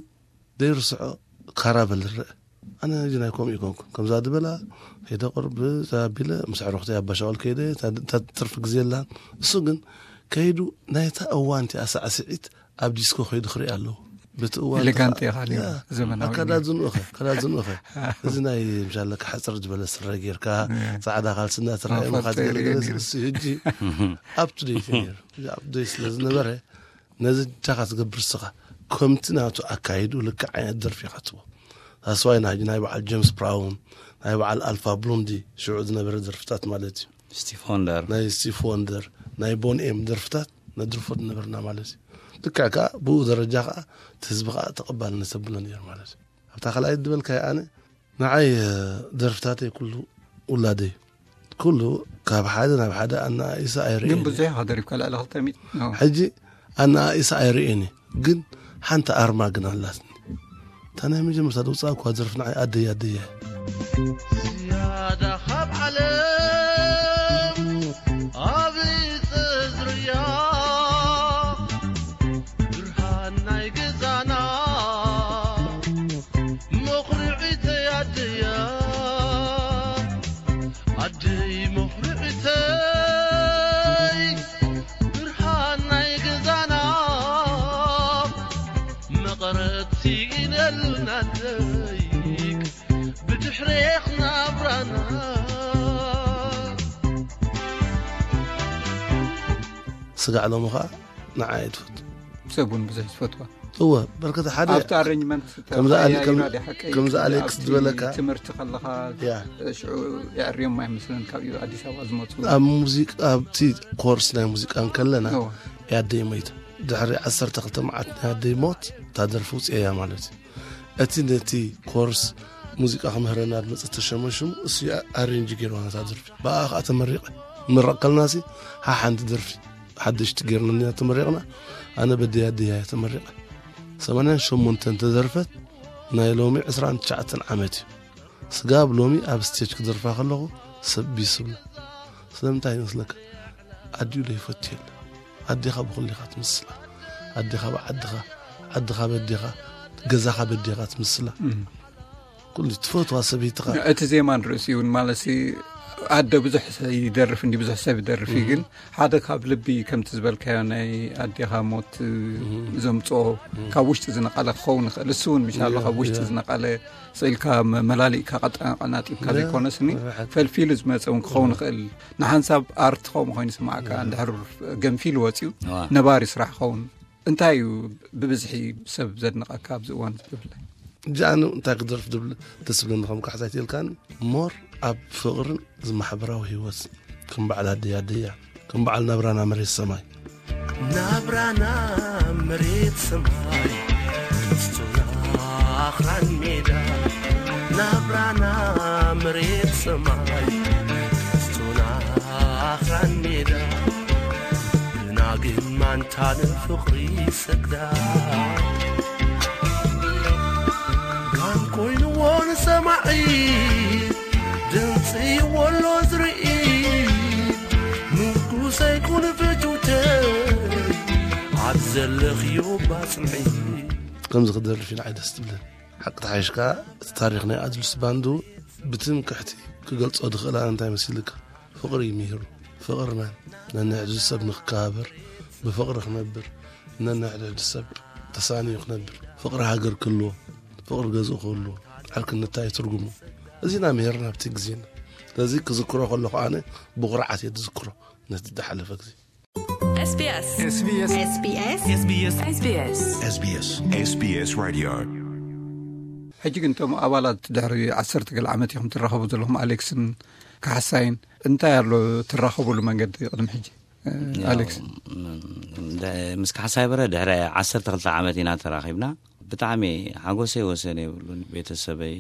ዘይርስዖ ካራቨል ዝረአ። ኣነ ሕጂ ናይ ከምኡ ይኮንኩ። ከምዛ ድበላ ከይደ ቅርብ ኣቢለ ምስ ኣዕሩኽተይ ኣባሻወል ከይደ፣ እታ፣ እታ ትርፊ ግዜ ኣላን። እሱ ግን ከይዱ ናይታ እዋን እቲኣ ሳዕስዒት ኣብ ዲስኮ ከይዱ ክርኢ ኣለዎ። በቲ እዋን ኤሌጋንት እቲኣ፣ ኢኻ ነይሩ፣ ያ፣ ዘመናዊ ኣካዳድንኡ ኸ፣ ኣካዳድንኡ ኸ። እዚ ናይ ምሻለካ ሓጽር ዝበለ ስረ ጌርካ፣ ያ። ጻዕዳ ካልሲ እናተረኣየ ኣፋልጦ ምኻድ የርእዮ ገለገለ ነይሩ። እሱ ሕጂ up to date እዩ ነይሩ። ሕጂ up to date ስለ ዝነበረ፣ ነዚ እጃኻ ትገብር እስኻ፣ ከምቲ ናቱ ኣካይዱ ልክዕ ዓይነት ደርፊ ኢኻ ትህቦ። ታስዋይ ናይ፣ ናይ በዓል ጄምስ ብራውን፣ ናይ በዓል ኣልፋ ብሎንዲ ሽዑ ዝነበረ ደርፍታት ማለት እዩ። ስቲቭ ወንደር። ናይ ስቲቭ ወንደር፣ ናይ ቦን ኤም ደርፍታት ነድርፎ ዝነበርና ማለት እዩ። ልክዕ ከኣ ብኡ ደረጃ ከኣ እቲ ህዝቢ ከኣ ተቐባልነት ተብሎ ነይሩ ማለት እዩ። ኣብታ ካልኣይ ዝበልካዮ ኣነ፣ ንዓይ፣ እ፣ ደርፍታተይ ኩሉ ውላደይ። ኩሉ ካብ ሓደ ናብ ሓደ ኣነኣኢሰ ኣይርእየን ግን እየ። ብዙሕ ኢኻ ደሪፍካ፣ ልዕሊ ክልተ ሚእቲ። ኖ። ሕጂ ኣነኣኢሰ ኣይርእየን እየ። ግን ሓንቲ ኣርማ ግን ኣላትኒ። እታ ናይ መጀመርታ ደውጻ እኳ ደርፊ ንዓይ ኣደይ ኣደይ እያ። ዝያዳ ካብ ዓለም ኣብ ጽዝርያ ብርሃን ናይ ገዛና መኹርዒተይ ኣደያ፣ ኣደይ መኹርዒተይ፣ ብርሃን ናይ ገዛና፣ መቐረት ስኢነልና ደይክ ብድሕሬኽ ናብራና። ስጋዕ ሎሚ ኸኣ ንዓይ ትፈቱ። ሰብ እውን ብዙሕ ዝፈትዋ። እወ፣ በርከት ሓደ ኣብቲ ኣረንጅመንት ከምዚ ኣለ- ተቐያይራ ከም- ድያ ሓቀይ? ከምዚ ኣሌክስ ኣብቲ ዝበለካ። ትምህርቲ ከለኻ ያ። ሽዑ የዕርዮም ኣይመስለን ካብ ኣዲስ ኣበባ ዝመፁ ኣብ ሙዚቃ ኣብቲ ኮርስ ናይ ሙዚቃ እንከለና እወ። ያደይ ሞይታ። ድሕሪ ዓሰርተ ክልተ መዓት ናይ ኣደይ ሞት እታ ደርፊ ውፅኤያ ማለት እዩ። እቲ ነቲ ኮርስ ሙዚቃ ክምህረና ዝመፀ ተሸመሽሙ እሱ ኣሬንጅ ገይርዋ ነታ ደርፊ። ብኣ ከዓ ተመሪቐ። ምረቕ ከልናሲ ሓሓንቲ ደርፊ ሓደሽቲ ገይርና እንዲና ተመሪቕና። ኣነ በደይ ኣደያ እየ ተመሪቐ። ሰማንያን ሸሞንተን ተደርፈት ናይ ሎሚ ዕስራን ትሽዓተን ዓመት እዩ። ስጋብ ሎሚ ኣብ ስቴጅ ክደርፋ ከለኹ ሰብ ቢስብለ። ስለምንታይ ይመስለካ? ኣዲኡ ዶ ይፈቱ የለ። ኣዴኻ ብኹሊኻ ትምስላ። ኣዴኻ ብዓድኻ፣ ዓድኻ በዴኻ፣ ገዛኻ በዴኻ ትምስላ። ኩሉ ትፈትዋ ሰበይትኻ። እቲ ዜማ ንርእሲ እውን ማለት ኣደ ብዙሕ ይደርፍ እንዲ ብዙሕ ሰብ ይደርፍ እዩ፣ ግን ሓደ ካብ ልቢ ከምቲ ዝበልካዮ ናይ ኣዴኻ ሞት ዘምፅኦ ካብ ውሽጢ ዝነቐለ ክኸውን ይኽእል። እሱ እውን ምሻሎ ካብ ውሽጢ ዝነቐለ ስኢልካ መላሊእካ ቀጠናጢብካ ዘይኮነስኒ ፈልፊሉ ዝመፀ እውን ክኸውን ይኽእል። ንሓንሳብ ኣርት ከምኡ ኮይኑ ይስማዓካ፣ እንድሕር ገንፊሉ ወፂኡ ነባሪ ስራሕ ክኸውን። እንታይ እዩ ብብዝሒ ሰብ ዘድንቐካ ኣብዚ እዋን እዚ ብፍላይ? እጃኑ እንታይ ክደርፍ ድብል ደስ ዝብለኒ ከም ካሕሳይ ትልካን ሞር ኣብ ፍቕርን ዝማሕበራዊ ህይወት ከም በዓል ኣደይ ኣደያ ከም በዓል ናብራና መሬት ሰማይ ናብራና መሬት ሰማይ ስቱና ኣኽራን ሜዳ ናብራና መሬት ሰማይ ስቱና ኣኽራን ሜዳ ብናግን ማንታ ንፍቕሪ ሰግዳ ጋን ኮይንዎ ንሰማዒ ድምፂ ወሎ ዝርኢ ንጉሰይ ኩን ፍትውተይ ኣብ ዘለኽዮ ባፅምዒ ከምዚ ክደርፍ ኢላ ዓይደስ ትብለን ሓቂ ተሓይሽካ እቲ ታሪኽ ናይ ኣድልስ ባንዱ ብትምክሕቲ ክገልጾ ድኽእል ኣነ እንታይ መሲልካ ፍቕሪ እዩ ምሂሩ። ፍቕርና ነንሕድሕድ ሰብ ንክከባበር፣ ብፍቕሪ ክነብር፣ ነንሕድሕድ ሰብ ተሳንዩ ክነብር፣ ፍቕሪ ሃገር ክህልዎ፣ ፍቕሪ ገዝኡ ክህልዎ፣ ዕርክነት እንታይ ትርጉሙ? እዚና ምሂርና ኣብቲ ግዜና። ስለዚ ክዝክሮ ከለኹ ኣነ ብኹርዓት እየ ዝዝክሮ ነቲ ዝሓለፈ ግዜ። SBS SBS SBS SBS SBS SBS SBS SBS Radio። ሕጂ ግን እቶም ኣባላት ድሕሪ ዓሰርተ ገለ ዓመት ኢኹም ትራኸቡ ዘለኹም ኣሌክስን ካሕሳይን እንታይ ኣሎ ትራኸቡሉ መንገዲ ቅድሚ ሕጂ ኣሌክስ? ምስ ካሕሳይ በረ ድሕሪ ዓሰርተ ክልተ ዓመት ኢና ተራኺብና። ብጣዕሚ ሓጎሰይ ወሰን የብሉን። ቤተሰበይ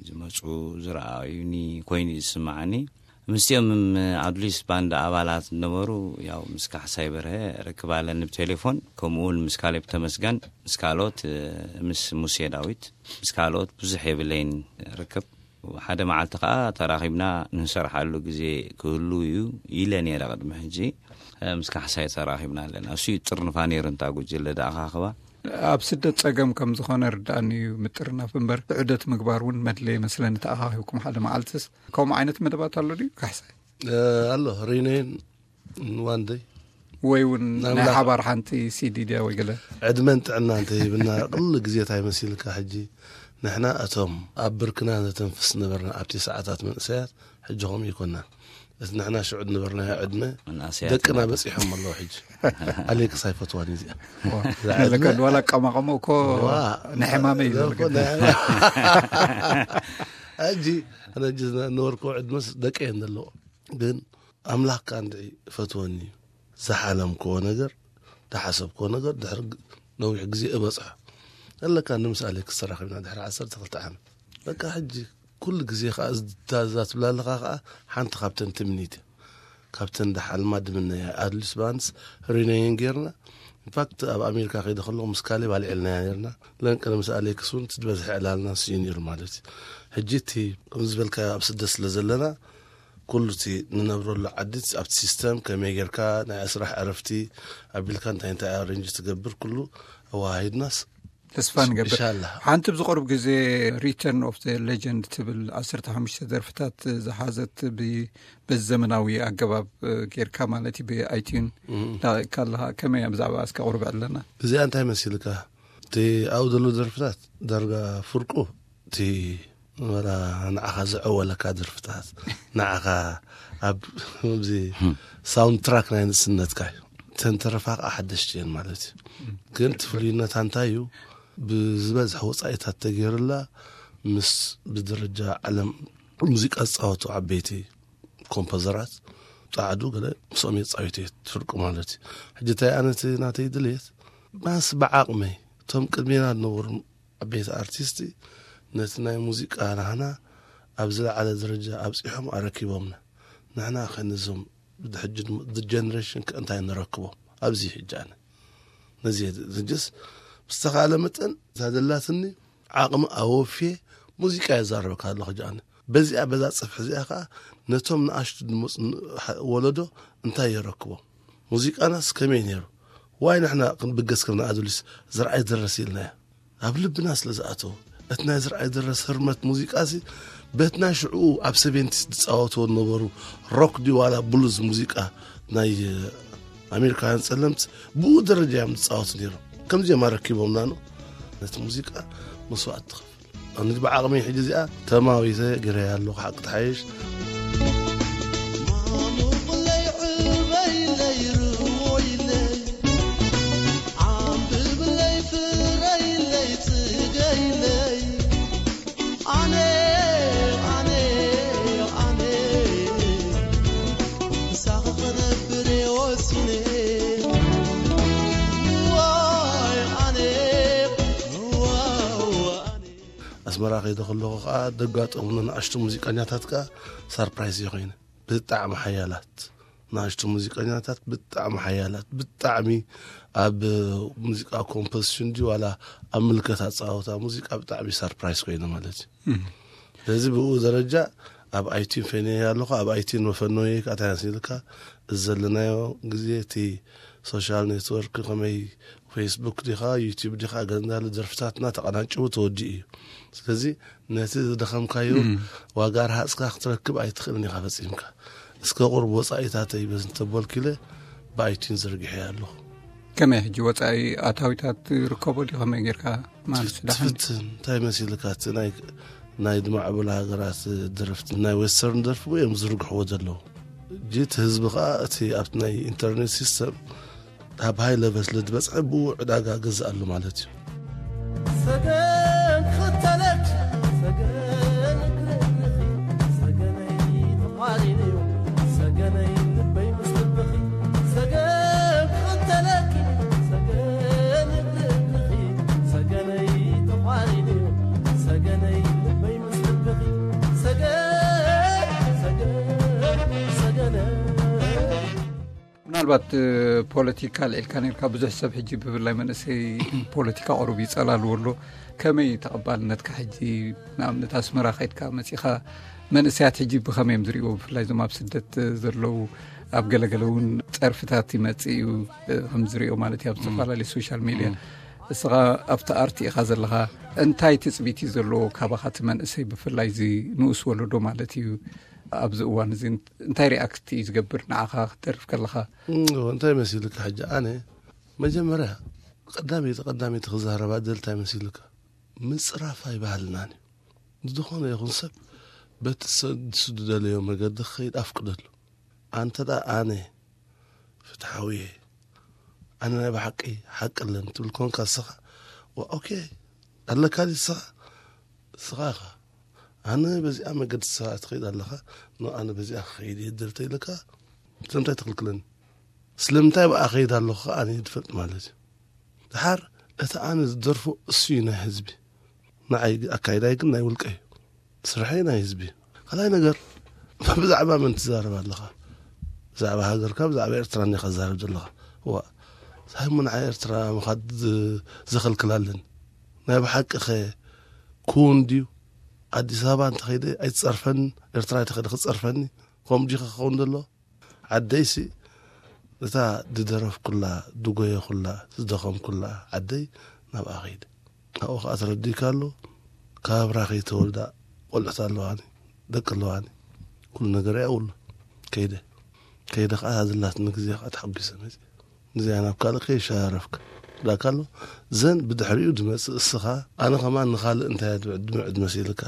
ዝመፁ ዝረኣዩኒ ኮይኑ እዩ ዝስማዓኒ። ምስቲኦም ኣዱሊስ ባንድ ኣባላት ዝነበሩ ያው ምስ ካሕሳይ በርሀ ርክብ ኣለኒ ብቴሌፎን፣ ከምኡ እውን ምስ ካሌብ ተመስገን፣ ምስ ካልኦት ምስ ሙሴ ዳዊት፣ ምስ ካልኦት ብዙሕ የብለይን ርክብ። ሓደ መዓልቲ ከዓ ተራኺብና ንሰርሓሉ ግዜ ክህሉ እዩ ኢለ ነይረ ቅድሚ ሕጂ። ምስ ካሕሳይ ተራኺብና ኣለና። እሱ እዩ ጥርንፋ ነይሩ እንታ ጉጅለ ደኣኻኽባ። ኣብ ስደት ጸገም ከም ዝኾነ ርዳእኒ እዩ ምጥርናፍ እምበር፣ ዑደት ምግባር እውን መድለየ መስለኒ ተኣኻኺብኩም ሓደ መዓልትስ። ከምኡ ዓይነት መደባት ኣሎ ድዩ ካሕሳይ? ኣሎ ሪነይን ዋንደይ ወይ እውን ናይ ሓባር ሓንቲ ሲዲ ድያ ወይ ገለ? ዕድመን ጥዕና እንተሂብና ቅሉ ግዜ እንታይ መሲልካ ሕጂ ንሕና እቶም ኣብ ብርክና ነተንፍስ ነበርና ኣብቲ ሰዓታት መንእሰያት ሕጂ ከምኡ ይኮና። እቲ ንሕና ሽዑ ዝነበርናዮ ዕድመ ደቅና በፂሖም ኣለዉ ሕጂ። ኣሌክስ ኣይፈትዋን እዚኣ ለካ ዋላ ኣቀማቐሞ እኮ ናይ ሕማመ እዩ ዘለካ። ሕጂ ኣነ ሕጂ ዝነበርኩ ዕድመስ ደቂ እየን ዘለዎ ግን ኣምላኽ ከኣ እንድዒ እፈትወኒ እዩ። ዝሓለምክዎ ነገር ዝሓሰብክዎ ነገር ድሕሪ ነዊሕ ግዜ እበፅሖ ኣለካ። ንምስኣለ ክሰራኺብና ድሕሪ ዓሰርተ ክልተ ዓመት በቃ ሕጂ ኩሉ ግዜ ከዓ እዛ ትብላ ኣለኻ ከዓ ሓንቲ ካብተን ትምኒት እያ። ካብተን ዳሓልማ ድምነያ ኣድሊስ ባንስ ሪነየን ጌርና ኢንፋክት ኣብ ኣሜሪካ ከይደ ከለኹ ምስ ካሌብ ኣልዒልናያ ነርና። ለንቀነ ምስ ኣሌክስ እውን ትድበዝሐ ዕላልና ስዩ ነይሩ ማለት እዩ። ሕጂ እቲ ከምዚ ዝበልካዮ ኣብ ስደት ስለ ዘለና ኩሉ እቲ ንነብረሉ ዓዲ ኣብቲ ሲስተም ከመይ ጌርካ ናይ ስራሕ ዕረፍቲ ኣቢልካ እንታይ እንታይ ኣሬንጅ ትገብር ኩሉ ኣዋሃሂድናስ ተስፋ ንገብር። ሓንቲ ብዝቐርብ ግዜ ሪተርን ኦፍ ዘ ሌጀንድ ትብል ዓሰርተ ሓሙሽተ ደርፍታት ዝሓዘት በዚ ዘመናዊ ኣገባብ ጌርካ ማለት እዩ ብኣይቲዩን ዳቂቕካ ኣለካ። ከመይ እያ ብዛዕባ እስከ ቁርብ ዕለና። እዚኣ እንታይ መሲልካ እቲ ኣብኡ ዘሎ ደርፍታት ዳርጋ ፍርቁ እቲ መላ ንዓኻ ዘዐወለካ ደርፍታት ንዓኻ ኣብ እዚ ሳውንድ ትራክ ናይ ንእስነትካ እዩ። ተንተረፋ ከዓ ሓደሽቲ እየን ማለት እዩ። ግን እቲ ፍሉይነታ እንታይ እዩ? ብዝበዝሐ ወፃኢታት ተገይርላ ምስ ብደረጃ ዓለም ሙዚቃ ዝፃወቱ ዓበይቲ ኮምፖዘራት ፃዕዱ ገለ ምስኦም የፃዊት እየ ትፍርቁ ማለት እዩ። ሕጂ እንታይ ኣነ እቲ ናተይ ድልየት ማስ ብዓቕመይ እቶም ቅድሜና ዝነበሩ ዓበይቲ ኣርቲስቲ ነቲ ናይ ሙዚቃ ናህና ኣብ ዝለዓለ ደረጃ ኣብፂሖም ኣረኪቦምና። ንሕና ከ ነዞም ብድሕጂ ጀነሬሽን ከ እንታይ ንረክቦም? ኣብዚ ሕጂ ኣነ ነዚ ጀስ ብዝተኻለ መጠን እዛ ዘላትኒ ዓቕሚ ኣወፍየ ሙዚቃ የዛረበካ ኣለኹ። ሕጂ ኣነ በዚኣ በዛ ጽፍሒ እዚኣ ከዓ ነቶም ንኣሽቱ ዝመፁ ወለዶ እንታይ የረክቦም? ሙዚቃናስ ከመይ ነይሩ? ዋይ ንሕና ክንብገስ ከም ንኣዱሊስ ዝረኣይ ደረስ ኢልናዮ። ኣብ ልብና ስለ ዝኣተወ እቲ ናይ ዝረኣይ ደረስ ህርመት ሙዚቃ ሲ በቲ ናይ ሽዕኡ ኣብ ሰቨንቲስ ዝፃወትዎ ዝነበሩ ሮክ ድዩ ዋላ ብሉዝ ሙዚቃ ናይ ኣሜሪካውያን ጸለምት ብኡ ደረጃ እዮም ዝፃወቱ ነይሮም። ከምዚኦም ኣረኪቦምና ነው ነቲ ሙዚቃ መስዋዕት ትኸፍል። ኣነ ብዓቕመይ ሕጂ እዚኣ ተማዊተ ገይረያ ኣለኹ ሓቂ ተሓይሽ። ኣስመራ ከይደ ከለኹ ከዓ ደጋጠሙኒ ንኣሽቱ ሙዚቀኛታት ከዓ ሳርፕራይዝ እየ ኮይነ። ብጣዕሚ ሓያላት ንኣሽቱ ሙዚቀኛታት፣ ብጣዕሚ ሓያላት፣ ብጣዕሚ ኣብ ሙዚቃ ኮምፖዚሽን ድዩ ዋላ ኣብ ምልከት ኣፃወታ ሙዚቃ ብጣዕሚ ሳርፕራይዝ ኮይነ ማለት እዩ። ስለዚ ብኡ ደረጃ ኣብ ኣይቲን ፈነየ ኣለኹ። ኣብ ኣይቲን መፈነየ ከዓ እንታይ መሲልካ እዚ ዘለናዮ ግዜ እቲ ሶሻል ኔትወርክ ከመይ ፌስቡክ ዲኻ ዩቲዩብ ዲኻ ገለ እንዳለ ደርፍታትና ተቐናጭቡ ተወዲኡ እዩ። ስለዚ ነቲ ዝደኸምካዮ ዋጋ ረሃፅካ ክትረክብ ኣይትኽእልን ኢኻ ፈፂምካ። እስከ ቁርብ ወፃኢታተይ በዚ እንተበልኩ ኢለ ብኣይቲን ዘርጊሐ ኣለኹ። ከመይ ሕጂ ወፃኢ ኣታዊታት ርከቦ ድዩ ከመይ ጌርካ ማለት ዳሕን ትፍትን እንታይ መሲልካ እቲ ናይ ናይ ዝማዕበላ ሃገራት ደረፍቲ ናይ ዌስተርን ደርፊ እዮም ዝርግሕዎ ዘለዉ። ጅት ህዝቢ ከዓ እቲ ኣብቲ ናይ ኢንተርኔት ሲስተም ኣብ ሃይ ለቨል ስለ ዝበፅሐ ብኡ ዕዳጋ ገዝኣሉ ማለት እዩ። ሰገን ክኽተለኪ ሰገን ክርእልኺ ሰገነይ ተዃሪነዮ ሰገነይ ልበይ ምስ ልብኺ ሰገን ክኽተለኪ ሰገን ክርእልኺ ሰገነይ ተዃሪነዮ ሰገነይ ልበይ ምስ ልብኺ ሰገን ሰገን ሰገነይ ምናልባት ፖለቲካ ልዒልካ ነርካ ብዙሕ ሰብ ሕጂ ብፍላይ መንእሰይ ፖለቲካ ቁሩብ ይጸላልዎ ኣሎ። ከመይ ተቐባልነትካ ሕጂ ንኣብነት ኣስመራ ከይድካ መጺኻ መንእሰያት ሕጂ ብኸመይ እዮም ዝርእዎ ብፍላይ እዞም ኣብ ስደት ዘለዉ ኣብ ገለገለ እውን ጸርፍታት ይመጽእ እዩ ከም ዝርእዮ ማለት እዩ ኣብ ዝተፈላለዩ ሶሻል ሚድያ እስኻ ኣብቲ ኣርቲ ኢኻ ዘለኻ እንታይ ትጽቢት እዩ ዘለዎ ካባኻ እቲ መንእሰይ ብፍላይ እዚ ንኡስ ወለዶ ማለት እዩ ኣብዚ እዋን እዚ እንታይ ሪኣክት እዩ ዝገብር ንዓኻ ክትደርፍ ከለኻ እንታይ መሲልካ ሕጂ ኣነ መጀመርያ ቀዳመይቲ ቀዳመይቲ ክዛረባ ደል እንታይ መሲልካ ምፅራፍ ኣይባህልናን እዩ ዝኾነ ይኹን ሰብ በቲ ንሱ ዝደለዮ መገዲ ክኸይድ ኣፍቅደሉ ኣንተ ደኣ ኣነ ፍትሓዊ እየ ኣነ ናይ ብሓቂ ሓቂ ኣለኒ ትብል ኮንካ ንስኻ ኦኬ ኣለካ ድዩ ንስኻ ንስኻ ኢኻ ኣነ በዚኣ መገዲ ንስኻ ትኸይድ ኣለኻ ኖ ኣነ በዚኣ ክኸይድ እየ ድል ተይልካ ስለምንታይ ትኽልክለኒ ስለምንታይ ብኣ ከይድ ኣለኹ ኣነ ድፈልጥ ማለት እዩ ድሓር እቲ ኣነ ዝደርፎ እሱ እዩ ናይ ህዝቢ ንዓይ ኣካይዳይ ግን ናይ ውልቀ እዩ ስርሐይ ናይ ህዝቢ እዩ ካልኣይ ነገር ብዛዕባ መን ትዛረብ ኣለኻ ብዛዕባ ሃገርካ ብዛዕባ ኤርትራ እንዲኻ ትዛረብ ዘለኻ ዋ ሳይሞ ንዓይ ኤርትራ ምኻድ ዘኸልክል ኣለኒ ናይ ብሓቂ ኸ ኩን ድዩ ኣዲስ ኣበባ እንተኸይደ ኣይትጸርፈኒ ኤርትራ እንተኸይደ ክትጸርፈኒ ከምኡ ድዩ ክኸውን ዘሎ ዓደይሲ እታ ዝደረፍኩላ ዝጎየኹላ ዝደኸምኩላ ዓደይ ናብኣ ኸይደ ኣብኡ ኸዓ ተረዲእካ ኣሎ ካብ ኣብራ ከይተወልዳ ቆልዑት ኣለዋኒ ደቂ ኣለዋኒ ኩሉ ነገር እያ ውሎ ከይደ ከይደ ኸዓ እዛ ዘላትኒ ግዜ ኸዓ ተሓጒሰ መፅየ እዚኣ ናብ ካልእ ከይሸራረፍካ ዳካ ኣሎ ዘን ብድሕሪኡ ዝመፅእ እስኻ ኣነ ኸማን ንኻልእ እንታይ ድምዕድ መሲልካ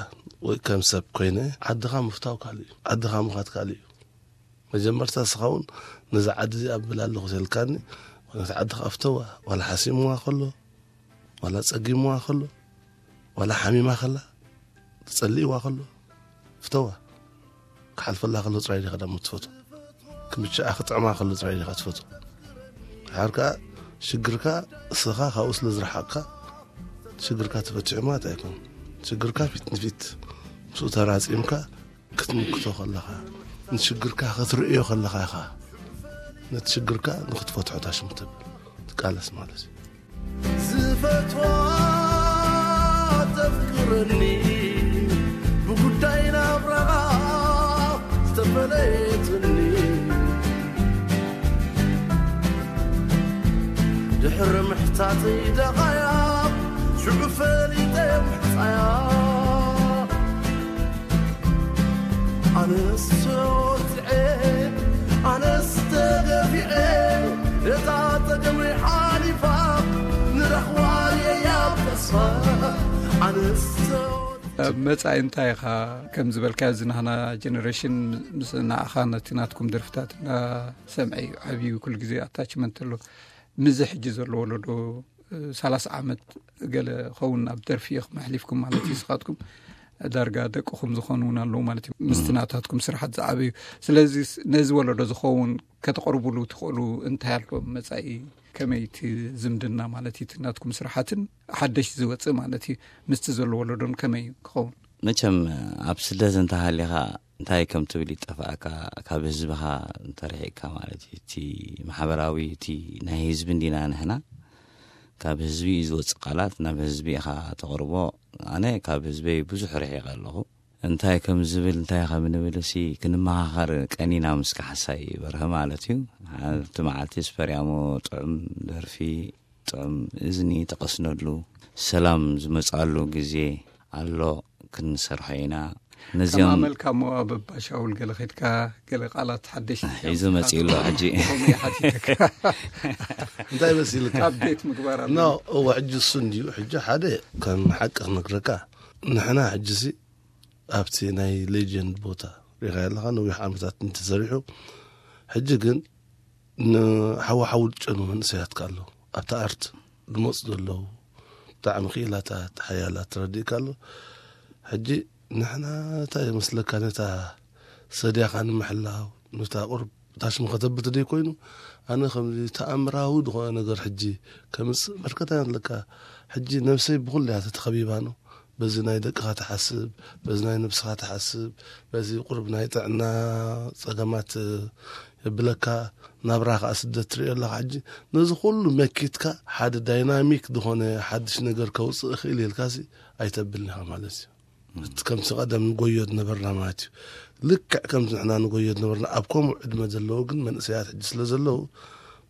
ወይ ከም ሰብ ኮይነ ዓድኻ ምፍታው ካልእ እዩ ዓድኻ ምኻድ ካልእ እዩ መጀመርታ እስኻ እውን ነዛ ዓዲ እዚኣ ኣብላ ኣለኹ ተልካኒ፣ ነቲ ዓዲ ክኣፍተዋ፣ ዋላ ሓሲምዋ ከሎ፣ ዋላ ጸጊምዋ ከሎ፣ ዋላ ሓሚማ ከላ፣ ተጸሊእዋ ከሎ፣ ፍተዋ። ክሓልፈላ ከሎ ጥራይ ዲኻ ደሞ ትፈትዎ። ክምችኣ ክጥዕማ ከሎ ጥራይ ዲኻ ትፈትዎ። ድሓር ከኣ ሽግርካ እስኻ ካብኡ ስለ ዝረሓቕካ፣ ሽግርካ ተፈቲሑ ማለት ኣይኮን። ሽግርካ ፊት ንፊት ምስኡ ተራጺምካ ክትምክቶ ከለኻ፣ ንሽግርካ ክትርእዮ ከለኻ ኢኻ ነቲ ሽግርካ ንኽትፈትሖ ታሽሙ ትብል፣ ትቃለስ ማለት እዩ። ዝፈትዋ ተፍቅረኒ፣ ብጉዳይ ናብራኻ ዝተፈለየትኒ፣ ድሕሪ ምሕታተይ ደቓያ ሽዑ ፈሊጠ ምሕጻያ። ኣነስ ተወድዐ፣ ኣነስ ተገፊዐ፣ እታ ጸገመይ ሓሊፋ፣ ንረኽባ እየ ኣብ ተስፋ። ኣነስ ተወድዐ። መጻኢ እንታይ ኢኻ? ከም ዝበልካዮ፣ እዚ ናህና ጀነሬሽን ምስ ንዓኻ ነቲ ናትኩም ደርፍታት እናሰምዐ እዩ ዓብዩ። ኩሉ ግዜ ኣታችመንት ኣሎ። ምዚ ሕጂ ዘሎ ወለዶ፣ እ፣ ሰላሳ ዓመት ገለ ኸውን ኣብ ደርፊ ኢኹም ኣሕሊፍኩም ማለት እዩ። ንስኻትኩም ዳርጋ ደቅኹም ዝኾኑ እውን ኣለዉ ማለት እዩ። ምስቲ ናታትኩም ስራሓት ዝዓበዩ። ስለዚ ነዚ ወለዶ ዝኸውን ከተቕርቡሉ ትኽእሉ እንታይ ኣሎ? መጻኢ ከመይ እቲ ዝምድና ማለት እዩ፣ እቲ ናትኩም ስራሓትን ሓደሽ ዝወጽእ ማለት እዩ፣ ምስቲ ዘሎ ወለዶን ከመይ እዩ ክኸውን? መቸም ኣብ ስደት እንተሃሊኻ እንታይ ከም ትብል ይጠፍኣካ፣ ካብ ህዝብኻ እንተርሒቕካ ማለት እዩ። እቲ ማሕበራዊ፣ እቲ ናይ ህዝቢ እንዲና ንሕና፣ ካብ ህዝቢ እዩ ዝወጽእ ቃላት፣ ናብ ህዝቢ ኢኻ ተቕርቦ። ኣነ ካብ ህዝበይ ብዙሕ ርሒቐ ኣለኹ። እንታይ ከም ዝብል፣ እንታይ ከም ንብል እሲ ክንመኻኸር ቀኒና ምስ ካሕሳይ በርሀ ማለት እዩ። ሓንቲ መዓልቲ ስፐርያሞ ጥዑም ደርፊ፣ ጥዑም እዝኒ ተቐስነሉ፣ ሰላም ዝመጽኣሉ ግዜ ኣሎ፣ ክንሰርሖ ኢና። ነዚኦም ከማመልካ እሞ ኣብ ኣባ ሻውል ገለ ኸድካ፣ ገለ ቃላት ሓደሽ ሒዙ መጺኡ ኣሎ ሕጂ። ከምኡ ይሓቲተካ። እንታይ መሲልካ? ኣፕዴት ምግባር ኣሎ። ኖ፣ እወ፣ ሕጂ እሱ እንድዩ። ሕጂ ሓደ ከም ሓቂ ክነግረካ፣ ንሕና ሕጂሲ ኣብቲ ናይ ሌጀንድ ቦታ ሪኻ ኣለኻ፣ ነዊሕ ዓመታት እንተሰሪሑ። ሕጂ ግን ንሓዋሓው ዝጨኑ መንእሰያት ከ ኣለዉ። ኣብቲ ኣርት ዝመጹ ዘለዉ ብጣዕሚ ክኢላታት፣ ሓያላት ተረዲእካ ኣሎ። ሕጂ ንሕና እንታይ ይመስለካ፣ ነታ ሰድያኻ ንምሕላው፣ ነታ ቁርብ ታሽሙ ከተብት ደይ ኮይኑ፣ ኣነ ከምዚ ተኣምራዊ ዝኾነ ነገር ሕጂ ከምጽእ በርከታ ኣለካ። ሕጂ ነብሰይ ብኹሉ እያ ተኸቢባ ነው። በዚ ናይ ደቅኻ ትሓስብ፣ በዚ ናይ ነብስኻ ትሓስብ፣ በዚ ቁርብ ናይ ጥዕና ጸገማት የብለካ። ናብራ ከኣ ስደት ትርእዮ ኣለኻ። ሕጂ ነዚ ኩሉ መኪትካ ሓደ ዳይናሚክ ዝኾነ ሓድሽ ነገር ከውጽእ እኽእል ኢልካሲ ኣይተብልን ኢኻ ማለት እዩ። እቲ ከምቲ ቀደም ንጎዮ ዝነበርና ማለት እዩ። ልክዕ ከምቲ ንሕና ንጎዮ ዝነበርና ኣብ ከምኡ ዕድመ ዘለዉ ግን መንእሰያት ሕጂ ስለ ዘለዉ፣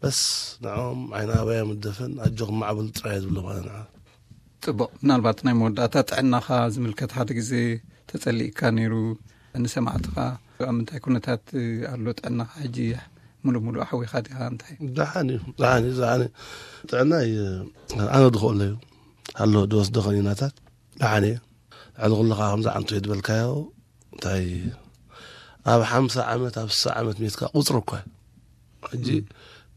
በስ ንዕኦም ዓይኒ ኣባዮም እደፈን ኣጆኹም ማዕበሉ ጥራይ እየ ዝብሎ ማለት ንዓ። ጽቡቕ። ምናልባት ናይ መወዳእታ ጥዕናኻ ዝምልከት ሓደ ግዜ ተጸሊእካ ነይሩ። ንሰማዕትኻ ኣብ ምንታይ ኩነታት ኣሎ ጥዕናኻ ሕጂ? ሙሉእ ሙሉእ ሓዊኻ ዲኻ? እንታይ? ደሓን እዩ፣ ደሓን እዩ፣ ደሓን እዩ። ጥዕናይ ኣነ ዝኽእሎ እዩ። ኣሎ ዝወስዶ ከኒናታት ደሓን እየ። ልዕሊ ኩሉ ከኣ ከምዚ ዓንቶ ዝበልካዮ፣ እንታይ፣ ኣብ ሓምሳ ዓመት፣ ኣብ ስሳ ዓመት ሜትካ ቁጽሪ እኳ እዩ። ሕጂ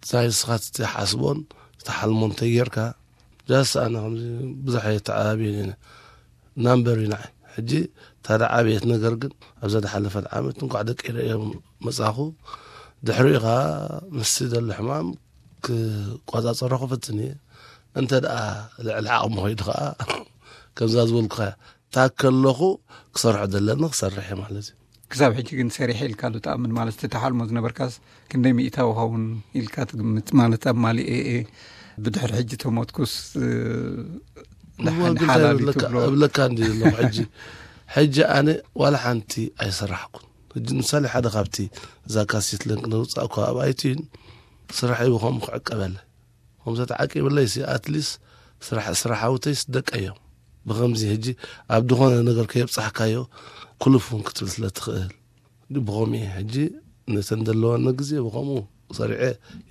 እንታይ ንስኻ ትሓስቦን ትሓልሞን ተጌርካ፣ ጃስ ኣነ ከምዚ ብዙሕ እየ ተዓባብየን እየ። ናምበር እዩ ንዓይ። ሕጂ እታ ደዓበየት ነገር ግን ኣብዛ ዝሓለፈት ዓመት እንኳዕ ደቂ ርእዮም መጻኹ። ድሕሪኡ ኸኣ ምስቲ ዘሎ ሕማም ክቆጻጸሮ ክፍትን እየ። እንተ ደኣ ልዕሊ ዓቕሚ ኸይዱ ኸኣ ከምዛ ዝበልኩኻ እታ ከለኹ ክሰርሖ ዘለኒ ክሰርሕ እየ ማለት እዩ። ክሳብ ሕጂ ግን ሰሪሐ ኢልካ ዶ ትኣምን? ማለት እቲ ተሓልሞ ዝነበርካስ ክንደይ ሚእታዊ ኸውን ኢልካ ትግምት? ማለት ኣብ ማሊ ኤኤ ብድሕሪ ሕጂ ተሞትኩስ፣ እ፣ እዋ፣ ደሓን ግን ሓላል እንታይ እዩ እብለካ፣ ትብሎ? እብለካ እንዲ ዘለኹ ሕጂ፣ ሕጂ ኣነ ዋላ ሓንቲ ኣይሰራሕኩን። ሕጂ ምሳሌ ሓደ ካብቲ እዛ ካሴት ለንክ ነውጻእ እኳ ኣብ ኣይቲን ስራሐይ ብኸምኡ ክዕቀበለ። ከምዚ ተዓቂብለይሲ ኣትሊስ ስራሕ፣ ስራሕ ሃውተይስ ደቀዮም። ብኸምዚ ሕጂ ኣብ ዝኾነ ነገር ከየብጻሕካዮ ክሉፍ እውን ክትብል ስለ ትኽእል። ብኸምኡ እየ ሕጂ ነተን ዘለዋኒ ግዜ ብኸምኡ ሰሪዐ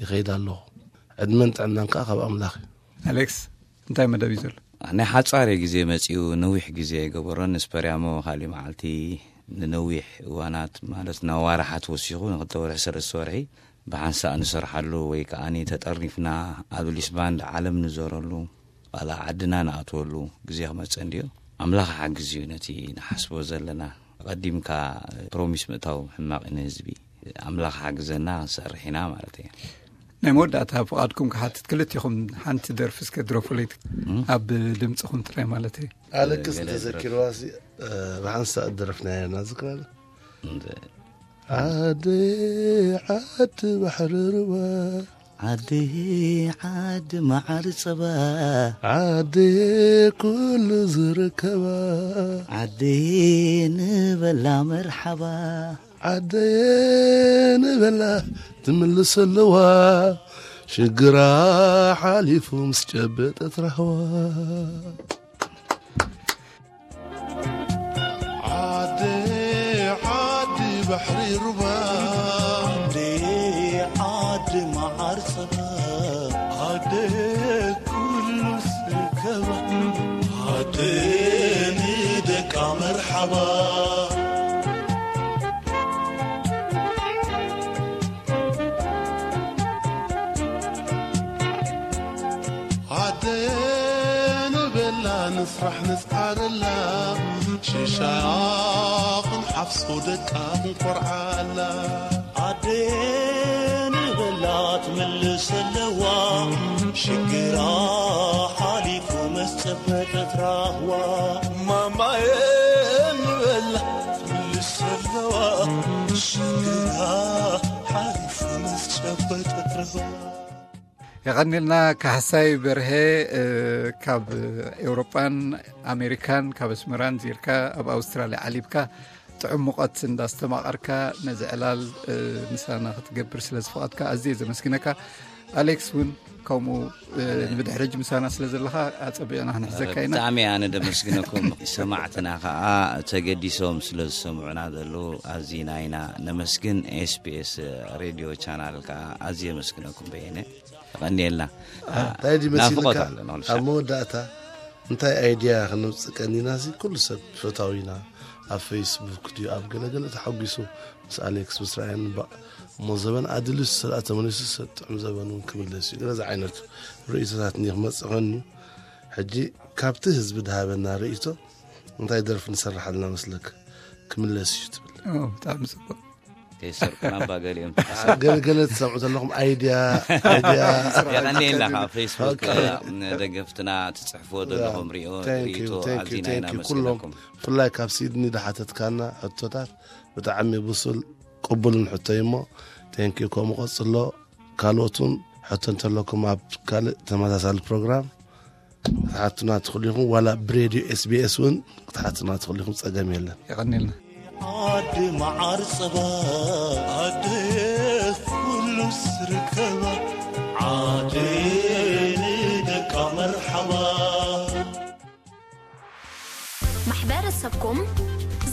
ይኸይድ ኣለኹ። ዕድመን ጥዕናን ከኣ ካብ ኣምላኽ እዩ። ኣሌክስ፣ እንታይ መደብ እዩ ዘሎ? ናይ ሓጻር ግዜ መጺኡ፣ ነዊሕ ግዜ ኣይገበሮን። ንስፐርያሞ ካሊእ መዓልቲ ንነዊሕ እዋናት፣ ማለት ናብ ዋርሓት ወሲኹ፣ ንክልተ ወርሒ፣ ሰለስተ ወርሒ ብሓንሳእ ንሰርሓሉ፣ ወይ ከኣ ተጠርኒፍና ኣብ ሊስ ባንድ ዓለም ንዞረሉ፣ ዋላ ዓድና ንኣትወሉ ግዜ ክመጽእ እንድዮ። ኣምላኽ ሓግዝ እዩ ነቲ ንሓስቦ ዘለና። ቀዲምካ ፕሮሚስ ምእታው ሕማቕ እዩ ንህዝቢ። ኣምላኽ ሓግዘና፣ ክንሰርሕ ኢና ማለት እዩ። ናይ መወዳእታ ፍቓድኩም ክሓትት፣ ክልቲኹም ሓንቲ ደርፊ እስከ ድረፉለይ፣ ኣብ ድምጽኹም ጥራይ ማለት እዩ። ኣለክስ ገለ ተዘኪርዋ ሲ ብሓንሳእ ደረፍናያ ናዝክራለ። ዓዲ ዓዲ ባሕሪ ሩባ፣ ዓዲ ዓዲ መዓር ጸባ፣ ዓዲ ኩሉ ዝርከባ፣ ዓዲ ንበላ መርሓባ፣ ዓደየ ንበላ ትምልስ ኣለዋ፣ ሽግራ ሓሊፉ ምስ ጨበጠት ራህዋ። ዓዲ ዓዲ ባሕሪ ሩባ፣ ዓዲ ዓዲ መዓር ጸባ፣ ዓዲ ኩሉ ዝርከባ፣ ዓዲ ንደቃ መርሓባ። ዓደየ ንበላ ንስራሕ ንስዓረላ፣ ሽሻያ ክንሓፍሶ ደቃ ክንኮርዓላ። ዓደየ ንበላ ትምልስ ኣለዋ፣ ሽግራ ሓሊፉ ምስ ጨበጠት ራህዋ። ማማየ ንበላ ትምልስ ኣለዋ፣ ሽግራ ሓሊፉ ምስ ጨበጠት ራህዋ። የቐኒልና ካሕሳይ በርሄ፣ እ፣ ካብ ኤውሮጳን ኣሜሪካን፣ ካብ ኣስመራን ዚርካ ኣብ ኣውስትራልያ ዓሊብካ ጥዑም ሙቐት እንዳስተማቐርካ ነዚ ዕላል፣ እ፣ ምሳና ክትገብር ስለ ዝፈቐድካ ኣዝየ ዘመስግነካ። ኣሌክስ እውን ከምኡ፣ እ፣ ንብድሕሪ ሕጂ ምሳና ስለ ዘለኻ ኣጸቢቕና ክንሕዘካ ኢና። ብጣዕሚ ኣነ ደመስግነኩም። ሰማዕትና ከኣ ተገዲሶም ስለ ዝሰምዑና ዘለዉ ኣዚና ኢና ነመስግን። ኤስቢኤስ ሬድዮ ቻናል ከኣ ኣዝየ የመስግነኩም በየነ። የቐንየልና። እንታይ ድዩ ናፍቖት መሲልካ? ኣሎ ንኹሉ ኣብ ሻዕ። መወዳእታ እንታይ ኣይድያ ክነምጽእ ቀኒና ሲ ኩሉ ሰብ ፈታዊና ኣብ ፌስቡክ ድዩ ኣብ ገለገለ ተሓጒሱ ምስ ኣሌክስ ምስ ራያን እምበ-፣ እሞ ዘበን ኣድልዩ ሰላእ ተመሊሱ ሰብ ጥዑም ዘበን እውን ክምለስ እዩ። ገለ ዓይነት ርእይቶታት እኒ ክመጽእ ኾን እዩ። ሕጂ ካብቲ ህዝቢ ድሃበና ርእይቶ እንታይ ደርፊ ንሰርሕ ኣለና መስለክ? ክምለስ እዩ ትብል። ኦ፣ ብጣዕሚ ጽቡቕ። ከይሰርቁና እባ ገሊኦም። ገለገለ ትሰምዑ ዘለኹም ኣይድያ፣ ኣይድያ። የቐንየልና ካብ ፌስቡክ፣ ኦኬ። ደገፍትና ትጽሕፍዎ ዘለኹም ሪኦ፣ thank you፣ ሪኢቶ thank you፣ ኣዚና ኢና thank you። ኩሎም ነመስግነኩም። ብፍላይ ካብ ሲድኒ ድሓተትካና ሕቶታት ብጣዕሚ ብሱል ቅቡልን ሕቶ እዩ እሞ፣ thank you፣ ከምኡ ቀጽሎ። ካልኦት እውን ሕቶ እንተለኩም ኣብ ካልእ ተመሳሳሊ ፕሮግራም ክትሓቱና ትኽእሉ ኢኹም፣ ዋላ ብሬድዮ ኤስቢኤስ እውን ክትሓቱና ትኽእሉ ኢኹም፣ ጸገም የለን። የቐንየልና። ዓዲ መዓር ጸባ፣ ዓዲ ኩሉ ዝርከባ፣ ዓዲ ንደቃ መርሓባ። ማሕበረሰብኩም፣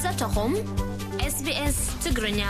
ዘተኹም፣ ኤስቢኤስ ትግርኛ።